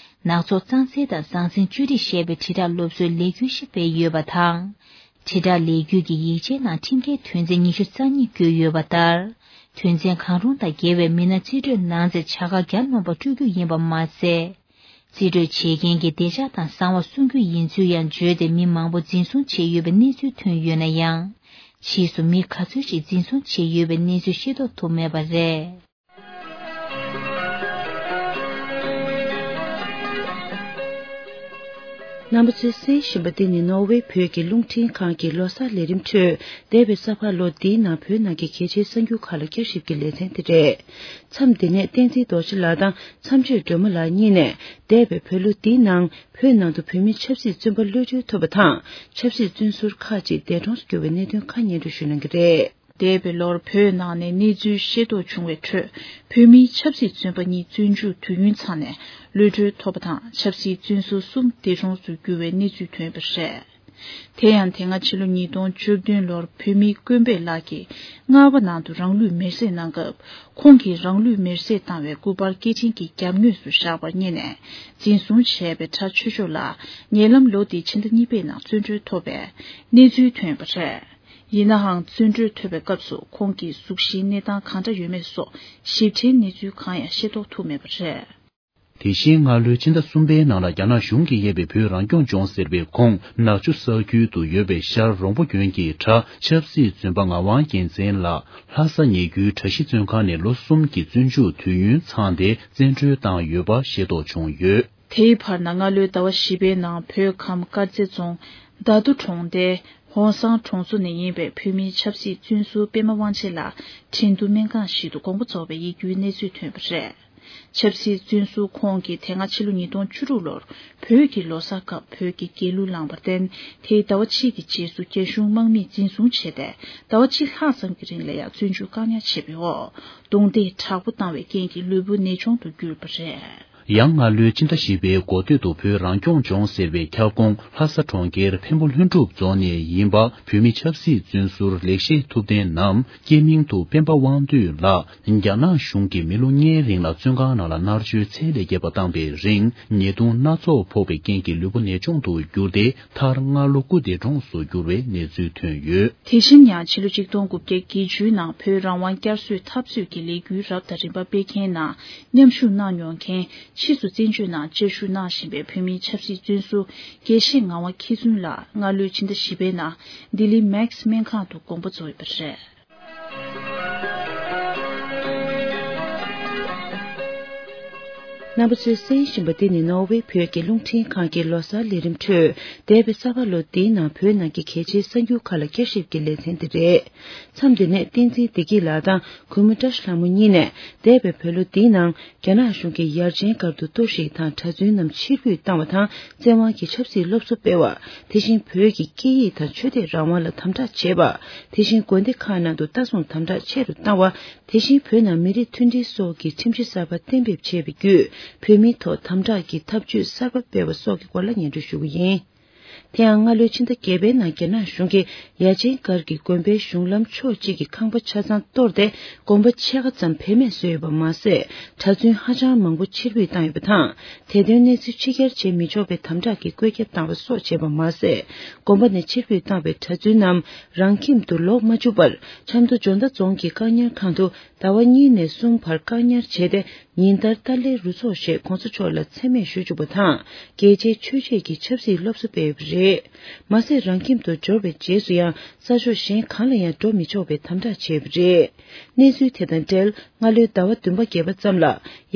ནག་ཚོགས་གཙང་སེལ་དང་ཟང་ཟིང་བཅོས་སྒྲིག་ཞེས་པའི་དྲིལ་བསྒྲགས་སློབ་གསོའི་ལས་འགུལ་ཞིག་སྤེལ་ཡོད་པ་དང་། དྲིལ་བསྒྲགས་ལས་འགུལ་གྱི་ཡིག་ཆའི་ནང་ཁྲིམས་འགལ་དོན་ཚན་ཉི་ཤུ་རྩ་གཉིས་བཀོད་ཡོད་པ་ལྟར། དོན་ཚན་གང་རུང་དང་འགལ་བའི་མི་སྣ་རྩིས་སྤྲོད་གནང་ཚེ་བྱ་དགའ་བརྒྱ་ལོན་པ་སྤྲོད་རྒྱུ་ཡིན་པ་མ་ཟད། རྩིས་སྤྲོད་བྱེད་མཁན་གྱི་བདེ་འཇགས་དང་གསང་བ་སྲུང་རྒྱུ་ཡིན་ཚུལ་ཡང་བརྗོད་དེ་མི་མང་པོ་འཛིན་བཟུང་བྱས་ཡོད་པའི་གནས་ཚུལ་ཐོན་ཡོད་ན་ཡང་། ཕྱིས་སུ་མི་ག་ཚོད་ཅིག་འཛིན་བཟུང་བྱས་ཡོད་པའི་གནས་ཚུལ་ཤེས་རྟོགས་ཐུབ་མེད་པ་རེད། རྣམ་པ་ཚོས་གསན་བཞིན་པ་འདི་ནི་ནོར་ཝེ་བོད་ཀྱི་རླུང་འཕྲིན་ཁང་གི་ལོ་གསར་ལས་རིམ་ཁྲོད། འདས་པའི་ས་ཕག་ལོ་འདིའི་ནང་བོད་ནང་གི་གལ་ཆེའི་གསར་འགྱུར་ཁག་ལ་བསྐྱར་ཞིབ་ཀྱི་ལེ་ཚན་དེ་རེད། མཚམས་འདི་ནས་བསྟན་འཛིན་རྡོ་རྗེ་ལགས་དང་། མཚམས་གཅོད་སྒྲོལ་མ་ལགས་གཉིས་ནས། འདས་པའི་བོད་ལོ་འདིའི་ནང་བོད་ནང་དུ་བོད་མི་ཆབ་སྲིད་བཙོན་པ་གློད་གྲོལ་ཐུབ་པ་དང་། ཆབ་སྲིད་བཙོན་ཟུར་ཁག་ཅིག་འདས་གྲོངས་སུ་གྱུར་བའི་གནད་དོན་ཁག་སྙན་སྒྲོན་ཞུ་གནང་གི་རེད། འདས་པའི་ལོར་བོད་ནང་ནས་གནས་ཚུལ་ཤེས་རྟོགས་བྱུང་བའི་ཁྲོད། བོད་མིའི་ཆབ་སྲིད་བཙོན་པ་གཉིས་བཙོན་འཇུག་དུས་ཡུན་ཚང་ནས་གློད་གྲོལ་ཐོབ་པ་དང་། ཆབ་སྲིད་བཙོན་ཟུར་གསུམ་འདས་གྲོངས་སུ་གྱུར་བའི་གནས་ཚུལ་ཐོན་པ་རེད། དེ་ཡང་དེ་སྔ་ཕྱི་ལོ་ཉིས་སྟོང་བཅུ་བདུན་ལོར་བོད་མི་ཀུན་སྤེལ་ལགས་ཀྱིས་རྔ་བ་ནང་དུ་རང་ལུས་མེར་སྲེག་གནང་སྐབས། ཁོང་གིས་རང་ལུས་མེར་སྲེག་བཏང་བའི་སྐུ་པར་སྐད་འཕྲིན་གྱི་རྒྱབ་ངོས་སུ་བཞག་པར་བསྙད་ནས་འཛིན་བཟུང་བྱས་པའི་གྲྭ་ཆོས་མཆོག་ལགས་ཉེ་ལམ་ལོ་འདིའི་ཕྱི་ཟླ་གཉིས་པའི་ནང་བཙོན་གྲོལ་ཐོབ་པའི་གནས་ཚུལ་ཐོན་པ་རེད། ཡིན་ནའང་། བཙོན་གྲོལ་ཐོབ་པའི་སྐབས་སུ་ཁོང་གི་གཟུགས་གཞིའི་གནས་སྟངས་གང་འདྲ་ཡོད་མེད་སོགས་ཞིབ་ཕྲའི་གནས་ཚུལ་གང་ཡང་ཤེས་རྟོགས་ཐུབ་མེད་པ་རེད། དེ་བཞིན་སྔ་ལོའི་ཕྱི་ཟླ་གསུམ་པའི་ནང་ལ་རྒྱ་ནག་གཞུང་གིས་གཡས་པའི་བོད་རང་སྐྱོང་ལྗོངས་ཟེར་བའི་ཁོངས་ནག་ཆུ་ས་ཁུལ་དུ་ཡོད་པའི་ཤར་རོང་པོ་དགོན་གྱི་གྲྭ་ཆབ་སྲིད་བཙོན་པ་ངག་དབང་རྒྱལ་མཚན་ལགས་ལྷ་ས་ཉེ་རྒྱུད་གྲྭ་བཞི་བཙོན་ཁང་ནས་ལོ་གསུམ་གྱི་བཙོན་འཇུག་དུས་ཡུན་ཚང་སྟེ་བཙན་གྲོལ་བཏང་ཡོད་པ་ཤེས་རྟོགས་བྱུང་ཡོད། དེའི་བར་ན་སྔ་ལོའི་ཟླ་བ་བཞི་པའི་ནང་བོད་ཁམས་དཀར་མཛེས་རྫོང་རྡ་རྡོ་གྲོང་རྡལ་ཧོང་སང་གྲོང་ཚོ་ནས་ཡིན་པའི་བོད་མིའི་ཆབ་སྲིད་བཙོན་ཟུར་པད་མ་དབང་ཆེན་ལགས་ཁྲིན་ཏུའུ་སྨན་ཁང་ཞིག་ཏུ་དགོངས་པ་རྫོགས་པའི་ཡིད་སྐྱོའི་གནས་ཚུལ་ཐོན་པ་རེད། ཆབ་སྲིད་བཙོན་ཟུར་ཁོང་གིས་དེ་སྔ་ཕྱི་ལོ་ཉིས་སྟོང་བཅུ་དྲུག་ལོར་བོད་ཀྱི་ལོ་གསར་སྐབས་བོད་ཀྱི་རྒྱལ་གླུ་བླངས་པར་བརྟེན། དེའི་ཟླ་བ་གཅིག་གི་རྗེས་སུ་རྒྱ་གཞུང་དམག་མིས་འཛིན་བཟུང་བྱས་ཏེ། ཟླ་བ་གཅིག་ལྷག་ཙམ་གྱི་རིང་ལ་ཡང་བཙོན་འཇུག་བཀག་ཉར་བྱས་པའི་འོག་རྡུང་རྡེག་དྲག་པོ་བཏང་བའི་རྐྱེན་གྱིས་ལུས་པོ་ནད་གཅོང་དུ་གྱུར་པ་རེད། ཡང་སྔ་ལོའི་ཕྱི་ཟླ་བཞི་པའི་འགོ་སྟོད་དུ་བོད་རང་སྐྱོང་ལྗོངས་ཟེར་བའི་ཁྱབ་ཁོངས་ལྷ་ས་གྲོང་ཁྱེར་འཕན་པོ་ལྷུན་གྲུབ་རྫོང་ནས་ཡིན་པ་བོད་མི་ཆབ་སྲིད་བཙོན་ཟུར་ལེགས་བཤད་ཐུབ་བསྟན་ནམ་སྐྱེས་མིང་དུ་སྤེན་པ་དབང་འདུས་ལགས་རྒྱ་ནག་གཞུང་གིས་མི་ལོ་ལྔའི་རིང་ལ་བཙོན་ཁང་ནང་ལ་མནར་གཅོད་ཚད་ལས་བརྒལ་བ་བཏང་པའི་རིང་ཉེས་རྡུང་སྣ་ཚོགས་ཕོག་པའི་རྐྱེན་གྱིས་ལུས་པོ་ནད་གཅོང་དུ་གྱུར་ཏེ། མཐར་སྔ་ལོ་སྐུ་འདས་གྲོངས་སུ་གྱུར་བའི་གནས་ཚུལ་ཐོན་ཡོད། དེ་བཞིན་ཡང་ཕྱི་ལོ་ཆིག་སྟོང་དགུ་བརྒྱ་བརྒྱད་ཅུའི་ནང་བོད་རང་དབང་བསྐྱར་གསོའི་འཐབ་རྩོད་ཀྱི་ལས་འགུལ་རབ་དང་རིམ་པ་སྤེལ་མཁན་ནང་མཉམ་ཞུགས་གནང་མྱོང་མཁན། ཕྱིས་སུ་བཙན་བྱོལ་ནང་བཅའ་བཞུགས་གནང་བཞིན་པའི་བོད་མིའི་ཆབ་སྲིད་བཙོན་ཟུར་དགེ་བཤེས་ངག་དབང་མཁས་བཙུན་ལགས་སྔ་ལོའི་ཕྱི་ཟླ་བཞི་པའི་ནང་ལྡི་ལི་མེག་སི་སྨན་ཁང་དུ་དགོངས་པ་རྫོགས་ཡོད་པ་རེད། རྣམ་པ་ཚོས་གསན་བཞིན་པ་འདི་ནི་ནོར་ཝེ་བོད་ཀྱི་རླུང་འཕྲིན་ཁང་གི་ལོ་གསར་ལས་རིམ་ཁྲོད་འདས་པའི་ས་ཕག་ལོ་འདིའི་ནང་བོད་ནང་གི་གལ་ཆེའི་གསར་འགྱུར་ཁག་ལ་བསྐྱར་ཞིབ་ཀྱི་ལེ་ཚན་དེ་རེད། མཚམས་འདི་ནས་བསྟན་འཛིན་བདེ་སྐྱིད་ལགས་དང་གུས་མོ་བཀྲ་ཤིས་ལྷ་མོ་གཉིས་ནས་འདས་པའི་བོད་ལོ་འདིའི་ནང་རྒྱ་ནག་གཞུང་གིས་ཡར་ཆེན་སྒར་དུ་གཏོར་བཤིག་དང་གྲྭ་བཙུན་རྣམས་ཕྱིར་འབུད་བཏང་བ་དང་བཙན་དབང་གིས་ཆབ་སྲིད་སློབ་གསོ་སྤེལ་བ། དེ་བཞིན་བོད་ཀྱི་སྐད་ཡིག་དང་ཆོས་དད་རང་དབང་ལ་དམ་དྲག་བྱས་པ། དེ་བཞིན་དགོན་སྡེ་ཁག་ནང་དུ་ལྟ་སྲུང་དམ་དྲག་ཆེ་རུ་བཏང་བ། དེ་བཞིན་བོད་ནང་མི་རིགས་མཐུན་སྒྲིལ་སོགས་ཀྱི་ཁྲིམས་གཞི་གསར་པ་གཏན་འབེབས་བྱས་པའི་བརྒྱུད། བོད་མིའི་ཐོག་དམ་དྲག་གི་ཐབས་ཇུས་གསར་པ་སྤེལ་བ་སོགས་ཀྱི་སྐོར་ལ་སྙན་སྒྲོན་ཞུ་གི་ཡིན། དེ་ཡང་སྔ་ལོའི་ཕྱི་ཟླ་བརྒྱད་པའི་ནང་རྒྱ་ནག་གཞུང་གིས་ཡ་ཆེན་སྒར་གྱི་དགོན་པའི་གཞུང་ལམ་ཕྱོགས་གཅིག་གི་ཁང་པ་ཆ་ཚང་གཏོར་ཏེ། དགོན་པ་ཕྱེད་ཀ་ཙམ་བེད་མེད་བཟོས་ཡོད་པ་མ་ཟད། གྲྭ་བཙུན་ཧ་ཅང་མང་པོ་ཕྱིར་འབུད་བཏང་ཡོད་པ་དང་། དེ་དོན་གནས་ཚུལ་ཕྱི་གྱར་བྱེད་མི་ཆོག་པའི་དམ་དྲག་གི་བཀོད་ཁྱབ་བཏང་བ་སོགས་བྱས་པ་མ་ཟད། དགོན་པ་ནས་ཕྱིར་འབུད་བཏང་བའི་གྲྭ་བཙུན་རྣམས་རང་ཁྱིམ་དུ་ལོག་མ་བཅུག་པར་ཆབ་མདོ་འཇོ་མདའ་རྫོང་གི་བཀག་ཉར་ཁང་དུ་ཟླ་བ་གཉིས་ནས་གསུམ་བར་བཀག་ཉར་བྱས་ཏེ། ཉིན་ལྟར་ཏཱ་ལའི་རུ་ཚོགས་ཞེས་གོང་ས་མཆོག་ལ་མཚན་སྨད་ཞུ་བཅུག་པ་དང་། རྒྱལ་གཅེས་ཆོས་གཅེས་ཀྱི་ཆབ་སྲིད་སློབ་གསོ་སྤེལ་ཡོད་པ་རེད། མ་ཟད། རང་ཁྱིམ་དུ་འབྱོར་བའི་རྗེས་སུ་ཡང་ས་ཕྱོགས་གཞན་གང་ལ་ཡང་འགྲོ་མི་ཆོག་པའི་དམ་དྲག་བྱས་པ་རེད། གནས་ཚུལ་དེ་དང་འབྲེལ། སྔ་ལོའི་ཟླ་བ་བདུན་པ་བརྒྱད་པ་ཙམ་ལ།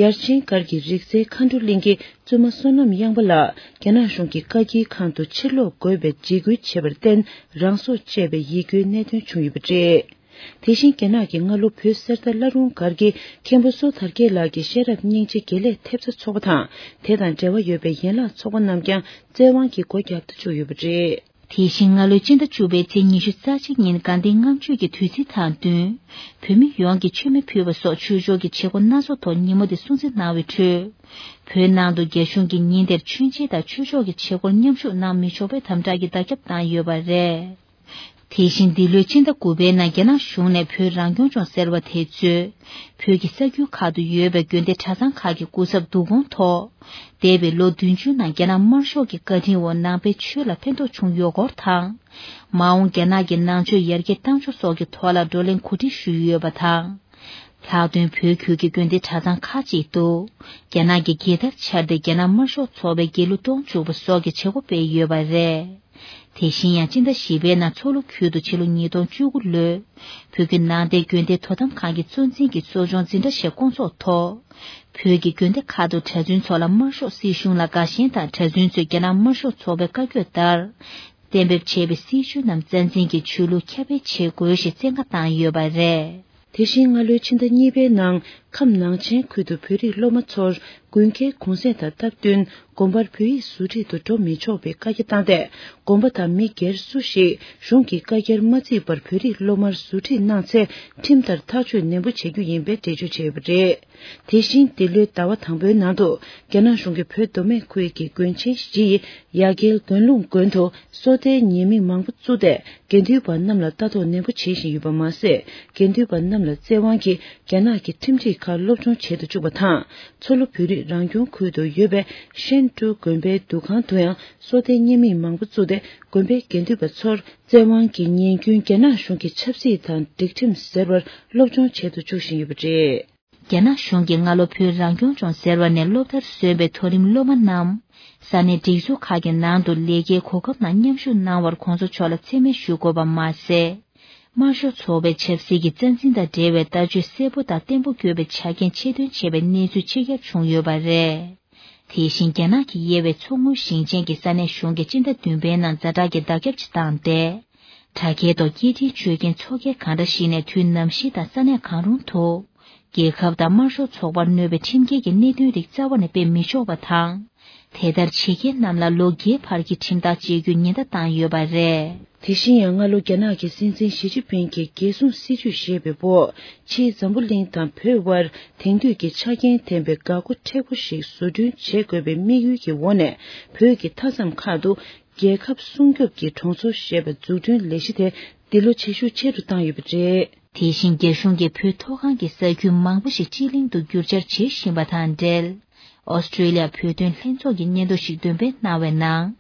ཡར་ཆེན་སྒར་གྱི་རིག་རྩལ་མཁའ་འགྲོ་གླིང་གི་བཙུན་མ་བསོད་ནམས་གཡང་པ་ལགས་རྒྱ་ནག་གཞུང་གི་བཀའ་འགྱེལ་ཁང་དུ་ཕྱིར་ལོག་དགོས་པའི་འཇིགས་སྐུལ་བྱས་པར་བརྟེན། རང་སྲོག་བཅད་པའི་ཡིད་སྐྱོའི་གནད་དོན་བྱུང་ཡོད་པ་རེད། དེ་བཞིན་རྒྱ་ནག་གི་སྔ་ལོ་བོད་གསེར་རྟ་བླ་རུང་སྒར་གྱི་མཁན་པོ་བསོད་དར་རྒྱས་ལགས་ཀྱི་ཤེས་རབ་སྙིང་རྗེ་དགེ་ལེགས་ཐེབས་རྩ་ཚོགས་པ་དང་། དེ་དང་འབྲེལ་བ་ཡོད་པའི་ཡན་ལག་ཚོགས་པ་རྣམས་ཀྱང་བཙན་དབང་གིས་སྒོ་བརྒྱབ་ཏུ་བཅུག་ཡོད་པ་རེད། དེ་བཞིན་སྔ་ལོའི་སྤྱི་ཟླ་བཅུ་པའི་ཚེས་ཉི་ཤུ་རྩ་གཅིག་ཉིན་དགའ་ལྡན་ལྔ་མཆོད་ཀྱི་དུས་ཚིགས་དང་བསྟུན། བོད་མི་ཡོངས་ཀྱིས་མཆོད་མེ་ཕུལ་བ་སོགས་ཆོས་ཕྱོགས་ཀྱི་བྱེད་སྒོ་སྣ་ཚོགས་ཐོག་ཉིན་མོ་འདི་སྲུང་བརྩི་གནང་བའི་ཁྲོད། བོད་ནང་དུ་རྒྱ་གཞུང་གིས་ཉིན་དེར་མཆོད་མཇལ་དང་ཆོས་ཕྱོགས་ཀྱི་བྱེད་སྒོར་མཉམ་ཞུགས་གནང་མི་ཆོག་པའི་དམ་དྲག་གི་བརྡ་ཁྱབ་བཏང་ཡོད་པ་རེད། དེ་བཞིན་འདི་ལོའི་ཕྱི་ཟླ་དགུ་པའི་ནང་རྒྱ་ནག་གཞུང་ནས་བོད་རང་སྐྱོང་ལྗོངས་ཟེར་བ་དེ་གཙོས། བོད་ཀྱི་ས་ཁུལ་ཁག་ཏུ་ཡོད་པའི་དགོན་སྡེ་གྲྭ་ཚང་ཁག་གི་སྐུ་ཚབ་བསྡུ་སྐོང་ཐོག་འདས་པའི་ལོ་བདུན་ཅུ་ནང་རྒྱ་ནག་དམར་ཤོག་གི་བཀའ་དྲིན་འོག་ནང་པའི་ཆོས་ལ་ཕན་ཐོགས་བྱུང་ཡོད་སྐོར་དང་། མ་འོངས་རྒྱ་ནག་གི་ནང་ཆོས་ཡར་རྒྱས་གཏང་ཕྱོགས་སོགས་ཀྱི་ཐོག་ལ་བགྲོ་གླེང་གོ་སྒྲིག་ཞུས་ཡོད་པ་དང་། ལྷག་དོན་བོད་ཁུལ་གྱི་དགོན་སྡེ་གྲྭ་ཚང་ཁག་ཅིག་ཏུ། རྒྱ་ནག་གི་རྒྱལ་དར་འཕྱར་ཏེ་རྒྱ་ནག་དམར་ཤོག་ཚོགས་པའི་རྒྱལ་གླུ་གཏོང་བཅུག་པ་སོགས་ཀྱི་བྱེད་སྒོ་སྤེལ་ཡོད་པ་རེད། དེ་བཞིན་ཡང་སྤྱི་ཟླ་བཞི་པའི་ནང་མཚོ་ལྷོ་ཁུལ་དུ་ཕྱི་ལོ་ཉིས་སྟོང་བཅུ་དགུ་ལོའི་བོད་ཀྱི་ནང་བསྟན་དགོན་སྡེ་དོ་དམ་ཁང་གི་གཙོ་འཛིན་གྱིས་གསོ་སྦྱོང་འཛིན་གྲྭ་ཞིག་བསྐོང་ཚོགས་ཐོག་བོད་ཀྱི་དགོན་སྡེ་ཁག་ཏུ་གྲྭ་བཙུན་ཚོ་ལ་དམར་ཤོག་སྲིད་གཞུང་ལ་དགའ་ཞེན་དང་། གྲྭ་བཙུན་ཚོས་རྒྱ་ནག་དམར་ཤོག་ཚོགས་པའི་བཀའ་བཀྱོན་ལྟར། གཏན་འབེབས་བྱས་པའི་སྲིད་བྱུས་རྣམས་རྩ་འཛིན་གྱིས་ཆོས་ལུགས་ཁྱབ་སྤེལ་བྱེད་དགོས་ཞེས་བཙན་བཀའ་བཏང་ཡོད་པ་རེད། དེ་བཞིན་སྔ་ལོའི་ཕྱི་ཟླ་གཉིས་པའི་ནང་ཁམས་ནང་ཆེན་ཁུལ་དུ་བོད་རིགས་སློབ་མ་ཚོར་དགུན་ཁའི་གུང་གསེང་དང་སྟབས་བསྟུན་དགོན་པར་བོད་ཡིག་ཟུར་ཁྲིད་དུ་འགྲོ་མི་ཆོག་པའི་བཀའ་རྒྱ་བཏང་སྟེ། དགོན་པ་དང་མི་སྒེར་སུ་ཞིག་གཞུང་གི་བཀའ་རྒྱར་མ་བརྩིས་པར་བོད་རིགས་སློབ་མར་ཟུར་ཁྲིད་གནང་ཚེ་ཁྲིམས་ལྟར་ཐག་གཅོད་ནན་པོ་བྱེད་རྒྱུ་ཡིན་པའི་འགྲེལ་བརྗོད་བྱས་ཡོད་པ་རེད། དེ་བཞིན་འདི་ལོའི་ཟླ་བ་དང་པོའི་ནང་དུ། རྒྱ་ནག་གཞུང་གིས་བོད་མདོ་སྨད་ཁུལ་གྱི་དགོན་ཆེན་བཞི་ཡི་ཡ་གྱལ་དགོན་ལུང་དགོན་དུ་སོ་ལྟའི་ཉེས་དམིགས་མང་པོ་བཙུགས་ཏེ། དགེ་འདུན་པ་རྣམས་ལ་ལྟ་རྟོག་ནན་པོ་བྱེད་བཞིན་ཡོད་པ་མ་ཟད། དགེ་འདུན་པ་རྣམས་ལ་བཙན་དབང་གིས་རྒྱ་ནག་གི་ཁྲིམས་སྒྲིག་ཁག་སློབ་སྦྱོང་བྱེད་དུ་བཅུག་པ་དང་། མཚོ་ལྷོ་བོད་རིགས་རང་སྐྱོང་ཁུལ་དུ་ཡོད་པའི་ཧྲེན་ཀྲུའུ་དགོན་པའི་འདུ་ཁང་དུ་ཡང་སོ་ལྟའི་ཉེས་དམིགས་མང་པོ་བཙུགས་ཏེ། དགོན་པའི་དགེ་འདུན་པ་ཚོར་བཙན་དབང་གིས་ཉིན་རྒྱུན་རྒྱ་ནག་གཞུང་གི་ཆབ་སྲིད་དང་སྒྲིག་ཁྲིམས་ཟེར་བར་སློབ་སྦྱོང་བྱེད་དུ་བཅུག་བཞིན་ཡོད་པ་རེད། རྒྱ་ནག་གཞུང་གིས་སྔ་ལོ་བོད་རང་སྐྱོང་ལྗོངས་ཟེར་བ་ནས་སློབ་མཐར་སོན་པའི་མཐོ་རིམ་སློབ་མ་རྣམས་ས་གནས་སྒྲིག་འཛུགས་ཁག་གི་ནང་དུ་ལས་ཀའི་གོ་སྐབས་ནང་མཉམ་ཞུགས་གནང་བར་གོང་ས་མཆོག་ལ་མཚན་སྨད་ཞུ་དགོས་པ་མ་ཟད། དམར་ཤོག་ཚོགས་པའི་ཆབ་སྲིད་ཀྱི་རྩ་འཛིན་དང་འབྲེལ་བའི་ལྟ་སྤྱོད་གསལ་པོ་དང་བརྟན་པོ་དགོས་པའི་ཆ་རྐྱེན་ཆེད་འདོན་བྱས་པའི་གནས་ཚུལ་ཕྱི་གྱར་བྱུང་ཡོད་པ་རེད། དེ་བཞིན་རྒྱ་ནག་གི་དབྱེ་བའི་མཚོ་སྔོན་ཞིང་ཆེན་གྱི་ས་གནས་གཞུང་གིས་སྤྱི་ཟླ་བདུན་པའི་ནང་ཛ་དྲག་གི་བརྡ་ཁྱབ་ཅིག་བཏང་སྟེ། དྲ་རྒྱའི་ཐོག་སྐད་འཕྲིན་སྤྱོད་མཁན་ཚོགས་སྒེར་གང་འདྲ་ཞིག་ནས་དུས་ནམ་ཞིག་དང་ས་གནས་གང་རུང་དུ། རྒྱལ་ཁབ་དང་དམར་ཤོག་ཚོགས་པར་གནོད་པའི་ཁྲིམས་འགལ་གྱི་གནད་དོན་རིགས་རྩ་བ་ནས་སྤེལ་མི་ཆོག་པ་དང་། དེ་ལྟར་བྱེད་མཁན་རྣམས་ལ་ལོ་བརྒྱད་བར་གྱི་ཁྲིམས་ཐག་བཅད་རྒྱུའི་ཉེན་བརྡ་བཏང་ཡོད་པ་རེད། དེ་བཞིན་ཡང་སྔ་ལོ་རྒྱ་ནག་གི་སྲིད་འཛིན་ཞི་ཅིན་ཕིང་གིས་རྒྱལ་སྲུང་སྲིད་ཇུས་བཞེས་པའི་འོག་ཕྱིའི་འཛམ་བུ་གླིང་དང་བོད་དབར་དེང་དུས་ཀྱི་ཆ་རྐྱེན་ལྡན་པའི་འགག་སྒོ་མཁྲེགས་པོ་ཞིག་བཟོ་སྐྲུན་བྱེད་དགོས་པའི་དམིགས་ཡུལ་གྱི་འོག་ནས་བོད་ཀྱི་མཐའ་མཚམས་ཁག་ཏུ་རྒྱལ་ཁབ་སྲུང་སྐྱོབ་ཀྱི་གྲོང་ཚོ་ཞེས་པ་འཛུགས་སྐྲུན་ལས་གཞི་དེ་འདི་ལོ་བྱེད་ཤུགས་ཆེ་རུ་བཏང་ཡོད་པ་རེད། དེ་བཞིན་རྒྱ་གཞུང་གིས་བོད་མཐོ་སྒང་གི་ས་ཁུལ་མང་པོ་ཞིག་སྤྱི་གླིང་དུ་བསྒྱུར་བཅོས་བྱེད་བཞིན་པ་དང་འབྲེལ། ཨོ་སི་ཀྲི་ལི་ཡ་བོད་དོན་ལྷན་ཚོགས་ཀྱིས་སྙན་ཐོ་ཞིག་འདོན་སྤེལ་གནང་བའི་ནང་།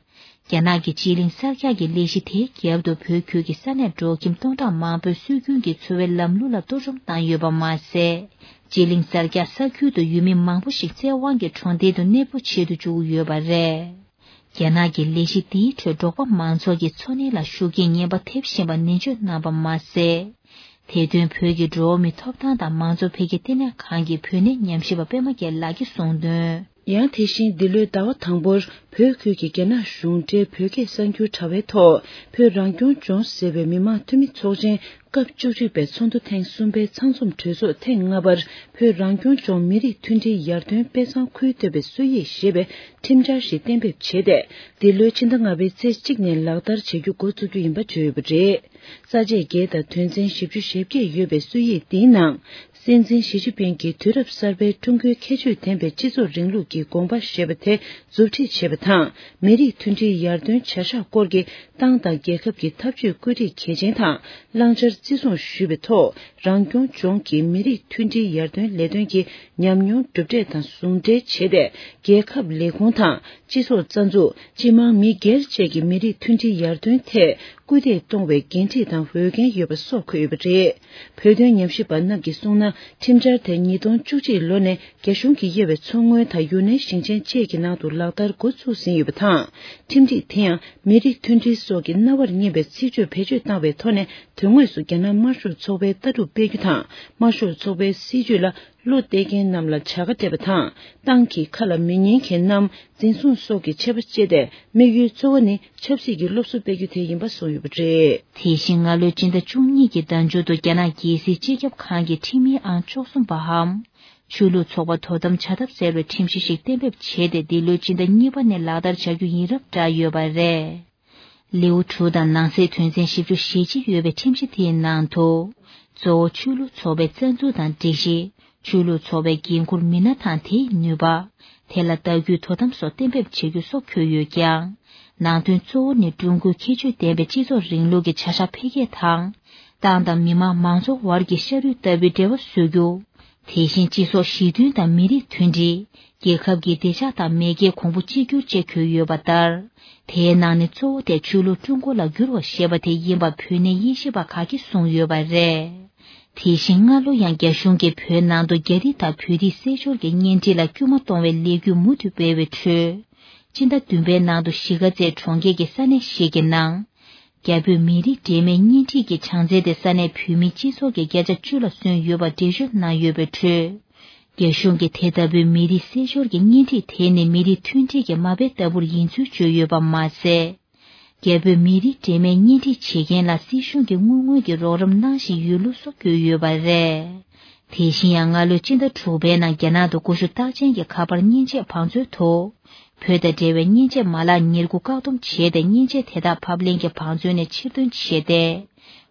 རྒྱ་ནག་གི་སྤྱི་གླིང་གསར་རྒྱག་གི་ལས་གཞི་དེའི་རྒྱབ་ཏུ་བོད་ཁུལ་གྱི་ས་གནས་འབྲོག་ཁྱིམ་སྟོང་ཕྲག་མང་པོས་སྲོལ་རྒྱུན་གྱི་འཚོ་བའི་ལམ་ལུགས་ལ་གཏོར་བཅོམ་བཏང་ཡོད་པ་མ་ཟད། སྤྱི་གླིང་གསར་རྒྱག་ས་ཁུལ་དུ་ཡུལ་མི་མང་པོ་ཞིག་བཙན་དབང་གིས་གྲོང་རྡལ་དུ་གནས་སྤོ་བྱེད་དུ་བཅུག་ཡོད་པ་རེད། རྒྱ་ནག་གི་ལས་གཞི་འདིའི་ཁྲོད་འབྲོག་པ་མང་ཚོགས་ཀྱི་འཚོ་གནས་ལ་ཤུགས་རྐྱེན་ངན་པ་ཐེབས་བཞིན་པ་ནན་བརྗོད་གནང་བ་མ་ཟད། དེ་དོན་བོད་ཀྱི་འགྲོ་བ་མིའི་ཐོབ་ཐང་དང་མང་གཙོ་འཕེལ་རྒྱས་ལྟེ་གནས་ཁང་གི་བོད་གནས་ཉམས་ཞིབ་པ་པད་མ་རྒྱལ་ལགས་ཀྱིས་གསུངས་དོན། ཡང་དེ་བཞིན་འདི་ལོའི་ཟླ་བ་དང་པོར་བོད་ཁུལ་གྱི་རྒྱ་ནག་གཞུང་འབྲེལ་བོད་སྐད་གསར་འགྱུར་དྲ་བའི་ཐོག་བོད་རང་སྐྱོང་ལྗོངས་ཟེར་བའི་མི་དམངས་འཐུས་མི་ཚོགས་ཆེན་སྐབས་བཅུ་གཅིག་པའི་ཚོགས་འདུ་ཐེངས་གསུམ་པའི་ཚང་འཛོམས་གྲོས་ཚོགས་ཐེངས་ལྔ་པར་བོད་རང་སྐྱོང་ལྗོངས་མི་རིགས་མཐུན་སྒྲིལ་ཡར་ཐོན་དཔེ་བཟང་ཁུལ་གཏོད་པའི་སྲོལ་ཡིག་ཞེས་པའི་ཁྲིམས་འཆར་ཞིག་གཏན་འབེབས་བྱས་ཏེ། འདི་ལོའི་ཕྱི་ཟླ་ལྔ་པའི་ཚེས་གཅིག་ནས་ལག་བསྟར་བྱེད་རྒྱུ་འགོ་བཙུགས་རྒྱུ་ཡིན་པ་བརྗོད་ཡོད་པ་རེད། ས་བཅད་བརྒྱད་དང་དོན་ཚན་བཞི་བཅུ་ཞེ་བརྒྱད་ཡོད་པའི་སྲོལ་ཡིག་འདིའི་ནང་། སྲིད་འཛིན་ཞི་ཅིན་ཕིང་གིས་དུས་རབས་གསར་པའི་ཀྲུང་གོའི་ཁྱད་ཆོས་ལྡན་པའི་སྤྱི་ཚོགས་རིང་ལུགས་ཀྱི་དགོངས་པ་ཞེས་པ་དེ་མཛུབ་ཁྲིད་བྱས་པ་དང་། མི་རིགས་མཐུན་སྒྲིལ་ཡར་ཐོན་བྱ་གཞག་སྐོར་གྱི་ཏང་དང་རྒྱལ་ཁབ་ཀྱི་འཐབ་ཇུས་བཀོད་སྒྲིག་གལ་ཆེན་དང་བླང་བྱར་བརྩི་སྲུང་ཞུས་པའི་ཐོག་རང་སྐྱོང་ལྗོངས་ཀྱི་མི་རིགས་མཐུན་སྒྲིལ་ཡར་ཐོན་ལས་དོན་གྱི་ཉམས་མྱོང་གྲུབ་འབྲས་དང་ཟུང་འབྲེལ་བྱས་ཏེ། རྒྱལ་ཁབ་ལས་ཁུངས་དང་། སྤྱི་ཚོགས་རྩ་འཛུགས། སྤྱི་དམངས་མི་སྒེར་བཅས་ཀྱི་མི་རིགས་མཐུན་སྒྲིལ་ཡར་ཐོན་ཐད་སྐུལ་འདེད་གཏོང་བའི་འགན་འཁྲི་དང་འོས་འགན་ཡོད་པ་སོགས་འཁོད་ཡོད་པ་རེད། བོད་དོན་ཉམས་ཞིབ་པ་རྣམས་ཀྱིས་གསུངས་ན། ཁྲིམས་འཆར་དེ་ཉིས་སྟོང་བཅུ་གཅིག་ལོ་ནས་རྒྱ་གཞུང་གིས་དབྱེ་བའི་མཚོ་སྔོན་དང་ཡུན་ནན་ཞིང་ཆེན་བཅས་ཀྱི་ནང་དུ་ལག་བསྟར་འགོ་ཚུགས་ཟིན་ཡོད་པ་དང་། ཁྲིམས་སྒྲིག་དེ་ཡང་མི་རིགས་མཐུན་སྒྲིལ་སོགས་ཀྱི་རྣ་བར་སྙན་པའི་ཚིག་བརྗོད་བེད་སྤྱོད་བཏང་བའི་ཐོག་ནས། དོན་དངོས་སུ་རྒྱ་ནག་དམར་ཤོག་ཚོགས་པའི་ལྟ་གྲུབ་སྤེལ་རྒྱུ་དང་། དམར་ཤོག་ཚོགས་པའི་སྲིད་བྱུས་ལ། བློ་གཏད་མཁན་རྣམས་ལ་བྱ་དགའ་སྤྲད་པ་དང་། ཏང་གི་ཁ་ལ་མི་ཉན་མཁན་རྣམས་འཛིན་བཟུང་སོགས་ཀྱི་ཆད་པ་བཅད་དེ། དམིགས་ཡུལ་གཙོ་བོ་ནི་ཆབ་སྲིད་ཀྱི་སློབ་གསོ་སྤེལ་རྒྱུ་དེ་ཡིན་པ་གསུངས་ཡོད་པ་རེད། དེ་བཞིན་སྔ་ལོའི་སྤྱི་ཟླ་བཅུ་གཉིས་ཀྱི་ཟླ་མཇུག་ཏུ་རྒྱ་ནག་རྒྱལ་སྲིད་སྤྱི་ཁྱབ་ཁང་གི་ཁྲིམས་ཡིག་ཨང་བཅུ་གསུམ་པའམ། ཆོས་ལུགས་ཚོགས་པ་དོ་དམ་བྱ་ཐབས་ཟེར་བའི་ཁྲིམས་གཞི་ཞིག་གཏན་འབེབས་བྱས་ཏེ། འདི་ལོའི་སྤྱི་ཟླ་གཉིས་པ་ནས་ལག་བསྟར་བྱ་རྒྱུ་ཡིན་རབས་བསྒྲགས་ཡོད་པ་རེད། ལེའུ་དྲུག་དང་ནང་གསེས་དོན་ཚན་བཞི་བཅུ་ཞེ་གཅིག་ཡོད་པའི་ཁྲིམས་གཞི་དེའི་ནང་དུ། གཙོ་བོ་ཆོས་ལུགས་ཚོགས་པའི་རྩ་འཛུགས་དང་སྒྲིག་གཞི། ཆོས་ལུགས་ཚོགས་པའི་འགན་འཁུར་མི་སྣ་དང་དེའི་ནུས་པ། དེ་ལ་ལྟ་སྐུལ་དོ་དམ་སོགས་གཏན་འབེབས་བྱེད་རྒྱུ་སོགས་འཁོད་ཡོད་ཀྱང་། ནང་དོན་གཙོ་བོ་ནི་ཀྲུང་གོའི་ཁྱད་ཆོས་ལྡན་པའི་སྤྱི་ཚོགས་རིང་ལུགས་ཀྱི་བྱ་གཞག་འཕེལ་རྒྱས་དང་། ཏང་དང་མི་དམངས་མང་ཚོགས་དབར་གྱི་ཤ་རུས་ལྟ་བུའི་འབྲེལ་བ་བཟོ་རྒྱུ། དེ་བཞིན་སྤྱི་ཚོགས་ཞི་མཐུན་དང་མི་རིགས་མཐུན་སྒྲིལ། རྒྱལ་ཁབ་ཀྱི་བདེ་འཇགས་དང་མེས་རྒྱལ་གོང་བུ་གཅིག་གྱུར་བཅས་འཁོད་ཡོད་པ་ལྟར། དེའི་ནང་ནས་གཙོ་བོ་དེ་ཆོས་ལུགས་ཀྲུང་གོ་ལ་བསྒྱུར་བ་ཞེས་པ་དེ་ཡིན་པ་བོད་གནས་དབྱེ་ཞིབ་པ་ཁག་གིས་གསུངས་ཡོད་པ་རེད། དེ་བཞིན་སྔ་ལོ་ཡང་རྒྱ་གཞུང་གིས་བོད་ནང་དུ་རྒྱ་རིགས་དང་བོད་རིགས་བསྲེས་སྦྱོར་གྱི་གཉེན་སྒྲིག་ལ་སྐུལ་མ་གཏོང་བའི་ལས་འགུལ་མུ་མཐུད་སྤེལ་བའི་ཁྲོད། སྤྱི་ཟླ་བདུན་པའི་ནང་དུ་གཞིས་ཀ་རྩེ་གྲོང་ཁྱེར་གྱི་ས་གནས་ཤིག་གི་ནང་། རྒྱ་བོད་མི་རིགས་འབྲེལ་མོལ་གཉེན་སྒྲིག་གི་བྱང་རྩེ་དེ་ས་གནས་བོད་མིའི་སྤྱི་ཚོགས་ཀྱི་བརྒྱ་ཆ་བཅུ་ལ་སོན་ཡོད་པ་འགྲེལ་བརྗོད་གནང་ཡོད་པའི་ཁྲོད། རྒྱ་གཞུང་གིས་དེ་ལྟ་བུའི་མི་རིགས་བསྲེས་སྦྱོར་གྱི་གཉེན་སྒྲིག་དེ་ནི་མི་རིགས་མཐུན་སྒྲིལ་གྱི་མ་དཔེ་ལྟ་བུར་ཡིན་ཚུལ་བརྗོད་ཡོད་པ་མ་ཟད། རྒྱ་བོད་མི་རིགས་འབྲེལ་མོལ་གཉེན་སྒྲིག་བྱེད་མཁན་ལ་སྲིད་གཞུང་གིས་དངུལ་དངོས་ཀྱི་རོགས་རམ་གནང་བཞིན་ཡོད་ལུགས་སོགས་བཀོད་ཡོད་པ་རེད། དེ་བཞིན་ཡང་སྔ་ལོའི་སྤྱི་ཟླ་དྲུག་པའི་ནང་རྒྱ་ནག་ཏུ་སྐུ་ཞབས་རྟགས་ཅན་གྱི་ཁ་པར་མཉེན་ཆས་བང་མཛོད་དུ། བོད་དང་འབྲེལ་བའི་མཉེན་ཆས་མ་ལག་ཉེར་དགུ་བཀག་སྡོམ་བྱས་ཏེ། མཉེན་ཆས་དེ་དག་ཕབ་ལེན་གྱི་བང་མཛོད་ནས་ཕྱིར་འདོན་བྱས་ཏེ།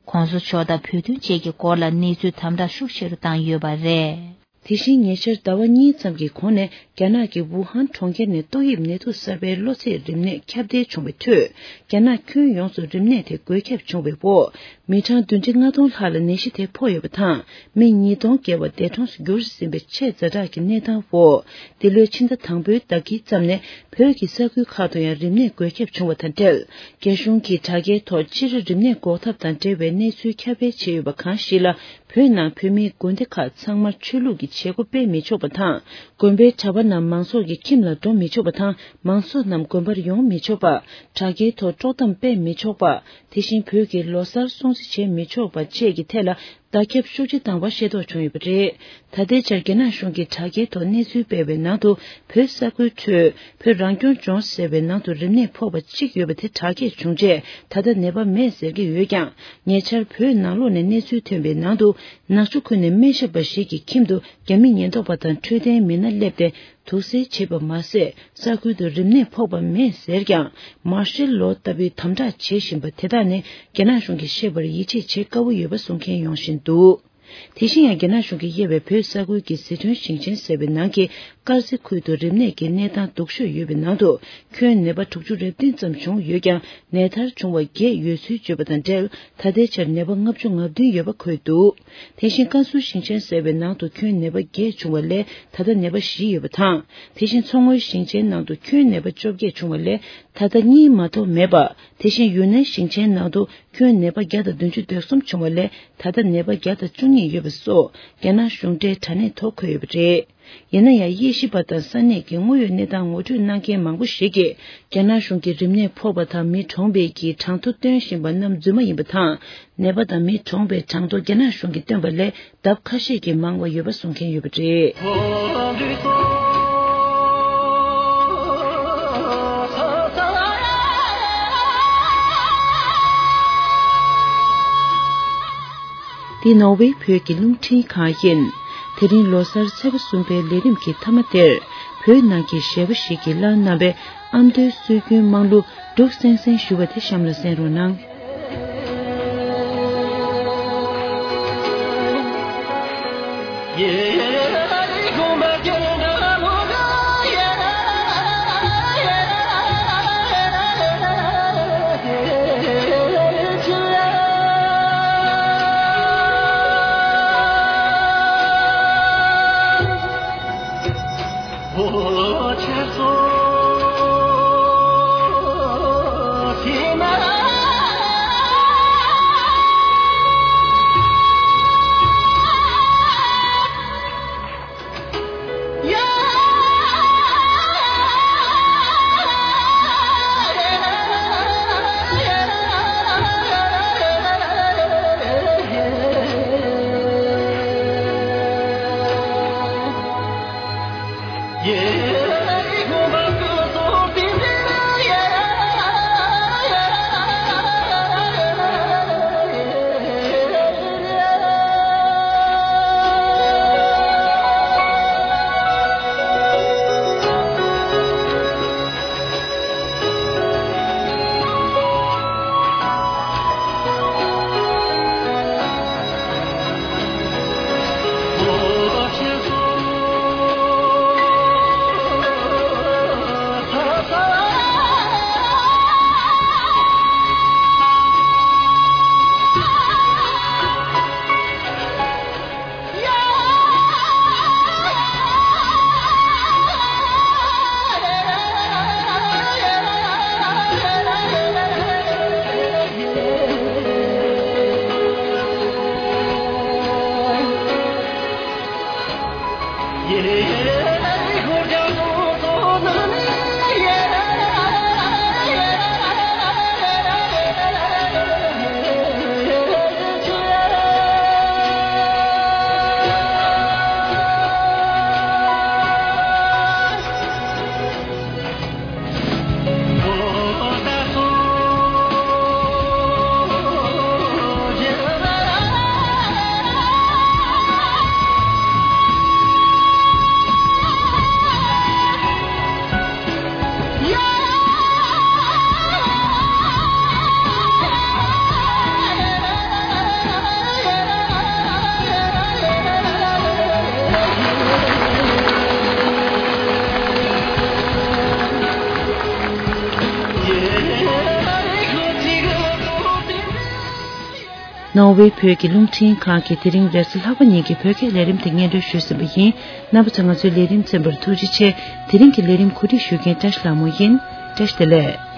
གོང་ས་མཆོག་དང་བོད་དོན་བཅས་ཀྱི་སྐོར་ལ་གནས་ཚུལ་དམ་དྲག་ཤུགས་ཆེ་རུ་བཏང་ཡོད་པ་རེད། དེ་བཞིན་ཉེ་ཆར་ཟླ་བ་གཉིས་ཙམ་གྱི་གོང་ནས་རྒྱ་ནག་གི་ཝུ་ཧན་གྲོང་ཁྱེར་ནས་ཏོག་དབྱིབས་ནད་དུག་གསར་པའི་གློ་ཚད་རིམས་ནད་ཁྱབ་གདལ་བྱུང་བའི་ཁྲོད། རྒྱ་ནག་ཁྱོན་ཡོངས་སུ་རིམས་ནད་དེ་འགོས་ཁྱབ་བྱུང་བའི་འོག་མི་གྲངས་བདུན་ཁྲི་ལྔ་སྟོང་ལྷག་ལ་ནད་གཞི་དེ་ཕོག་ཡོད་པ་དང་། མི་ཉིས་སྟོང་བརྒལ་བ་འདས་གྲོངས་སུ་གྱུར་ཟིན་པའི་ཆེས་ཛ་དྲག་གི་གནས་སྟངས་འོག་འདི་ལོའི་ཕྱི་ཟླ་དང་པོའི་ཟླ་དཀྱིལ་ཙམ་ནས་བོད་ཀྱི་ས་ཁུལ་ཁག་ཏུ་ཡང་རིམས་ནད་འགོས་ཁྱབ་བྱུང་བ་དང་འབྲེལ། རྒྱ་གཞུང་གིས་དྲ་རྒྱའི་ཐོག་སྤྱིར་རིམས་ནད་འགོག་ཐབས་དང་འབྲེལ་བའི་གནས་ཚུལ་ཁྱབ་སྤེལ་བྱས་ཡོད་པ་གང་ཞིག་ལ། བོད་ནང་བོད་མིའི་དགོན་སྡེ་ཁག་ཚང་མར་ཆོས་ལུགས་ཀྱི་ བྱེད་སྒོ་སྤེལ་མི་ཆོག་པ་དང་། དགོན་པའི་གྲྭ་པ་རྣམས་མང་ཚོགས་ཀྱི་ཁྱིམ་ལ་འགྲོ་མི་ཆོག་པ་དང་། མང་ཚོགས་རྣམས་དགོན་པར་ཡོང་མི་ཆོག་པ། དྲ་རྒྱའི་ཐོག་དཀྲོག་གཏམ་སྤེལ་མི་ཆོག་པ། དེ་བཞིན་བོད་ཀྱི་ལོ་གསར་སྲུང་བརྩི་བྱེད་མི་ཆོག་པ་བཅས་ཀྱི་ཐད་ལ་བརྡ་ཁྱབ་ཤུགས་ཆེ་བཏང་བ་ཤེས་རྟོགས་བྱུང་ཡོད་པ་རེད། ད་ལྟའི་ཆར་རྒྱ་ནག་གཞུང་གིས་དྲ་རྒྱའི་ཐོག་གནས་ཚུལ་སྤེལ་བའི་ནང་དུ། བོད་ས་ཁུལ་ཁྲོད་བོད་རང་སྐྱོང་ལྗོངས་ཟེར་བའི་ནང་དུ་རིམས་ནད་ཕོག་པ་གཅིག་ཡོད་པ་དེ་དྲག་སྐྱེད་བྱུང་རྗེས་ད་ལྟ་ནད་པ་མེད་ཟེར་གྱི་ཡོད་ཀྱང་། ཉེ་ཆར་བོད་ནང་ལོགས་ནས་གནས་ཚུལ་ཐོན་པའི་ནང་དུ། ནག་ཆུ་ཁུལ་ནས་སྨན་ཞབས་པ་ཞིག་གི་ཁྱིམ་དུ་རྒྱ་མི་ཉེན་རྟོག་པ་དང་འཕྲོད་བསྟེན་མི་སྣ་སླེབས་ཏེ། དུག་སེལ་བྱས་པ་མ་ཟད། ས་ཁུལ་དུ་རིམས་ནད་ཕོག་པ་མེད་ཟེར་ཀྱང་། མར་ཤལ་ལོ་ལྟ་བུའི་དམ་དྲག་བྱེད་བཞིན་པ་དེ་དག་ནི་རྒྱ་ནག་གཞུང་གིས་ཤེས་པར་ཡིད་ཆེས་བྱེད་དཀའ་བོ་ཡོད་པ་གསུང་མཁན་ཡོང་བཞིན་འདུག་དེ་བཞིན་ཡང་རྒྱ་ནག་གཞུང་གིས་དབྱེ་བའི་བོད་ས་ཁུལ་གྱི་ཟི་ཁྲོན་ཞིང་ཆེན་ཟེར་བའི་ནང་གི་དཀར་རྩེ་ཁུལ་དུ་རིམས་ནད་ཀྱི་གནས་སྟངས་སྡུག་ཤོས་ཡོད་པའི་ནང་དུ། ཁྱོན་ནད་པ་དྲུག་ཅུ་རེ་བདུན་ཙམ་བྱུང་ཡོད་ཀྱང་། ནད་མཐར་བྱུང་བ་བརྒྱད་ཡོད་ཚུལ་བརྗོད་པ་དང་འབྲེལ། ད་ལྟའི་ཆར་ནད་པ་ལྔ་བཅུ་ང་བདུན་ཡོད་པ་འཁོད་འདུག་དེ་བཞིན་ཀན་སུའུ་ཞིང་ཆེན་ཟེར་བའི་ནང་དུ་ཁྱོན་ནད་པ་བརྒྱད་བྱུང་བ་ལས་ད་ལྟ་ནད་པ་བཞི་ཡོད་པ་དང་། དེ་བཞིན་མཚོ་སྔོན་ཞིང་ཆེན་ནང་དུ་ཁྱོན་ནད་པ་བཅོ་བརྒྱད་བྱུང་བ་ལས་ད་ལྟ་གཉིས་མ་གཏོགས་མེད་པ། དེ་བཞིན་ཡུན་ནན་ཞིང་ཆེན་ནང་དུ་ཁྱོན་ནད་པ་བརྒྱ་དང་བདུན་ཅུ་དོན་གསུམ་བྱུང་བ་ལས་ད་ལྟ་ནད་པ་བརྒྱ་དང་བཅུ་གཉིས་ཡོད་པ་སོགས་རྒྱ་ནག་གཞུང་འབྲེལ་དྲ་གནས་ཐོག་འཁོད་ཡོད་པ་རེད། ཡིན་ན་ཡང་། དབྱེ་ཞིབ་པ་དང་ས་གནས་ཀྱི་དངོས་ཡོད་གནས་སྟངས་ངོ་སྤྲོད་གནང་མཁན་མང་པོ་ཞིག་གིས། རྒྱ་ནག་གཞུང་གིས་རིམས་ནད་ཕོག་པ་དང་མི་གྲོངས་པའི་གི་གྲངས་ཐོ་སྟོན་བཞིན་པ་རྣམས་རྫུན་མ་ཡིན་པ་དང་། ནད་པ་དང་མི་གྲོངས་པའི་གྲངས་ཐོ་རྒྱ་ནག་གཞུང་གིས་བཏོན་པ་ལས་ལྡབ་ཁ་ཤས་ཀྱིས་མང་བ་ཡོད་པ་གསུང་མཁན་ཡོད་པ་རེད། འདི་ནོར་ཝེ་བོད་ཀྱི་རླུང་འཕྲིན་ཁང་ཡིན། དེ་རིང་ལོ་གསར་ཚེས་པ་གསུམ་པའི་ལས་རིམ་གྱི་མཐའ་མ་དེར། བོད་ནང་གི་གཞས་པ་ཞིག་གིས་བླངས་གནང་བའི་ཨ་མདོའི་སྲོལ་རྒྱུན་དམངས་གླུ་འབྲུག་སེང་སེང་ཞུ་བ་དེ་གཤམ་ལ་གསན་རོགས་གནང་། ནོར་ཝེ་བོད་ཀྱི་རླུང་འཕྲིན་ཁང་གིས་དེ་རིང་རེས་གཟའ་ལྷག་པ་ཉིན་གྱི་བོད་སྐད་ལས་རིམ་དེ་སྙན་སྒྲོན་ཞུས་ཟིན་པ་ཡིན། རྣམ་པ་ཚོས་ང་ཚོའི་ལས་རིམ་གསན་པར་ཐུགས་རྗེ་ཆེ། དེ་རིང་གི་ལས་རིམ་གོ་སྒྲིག་ཞུ་མཁན་བཀྲ་ཤིས་ལྷ་མོ་ཡིན། བཀྲ་ཤིས་བདེ་ལེགས།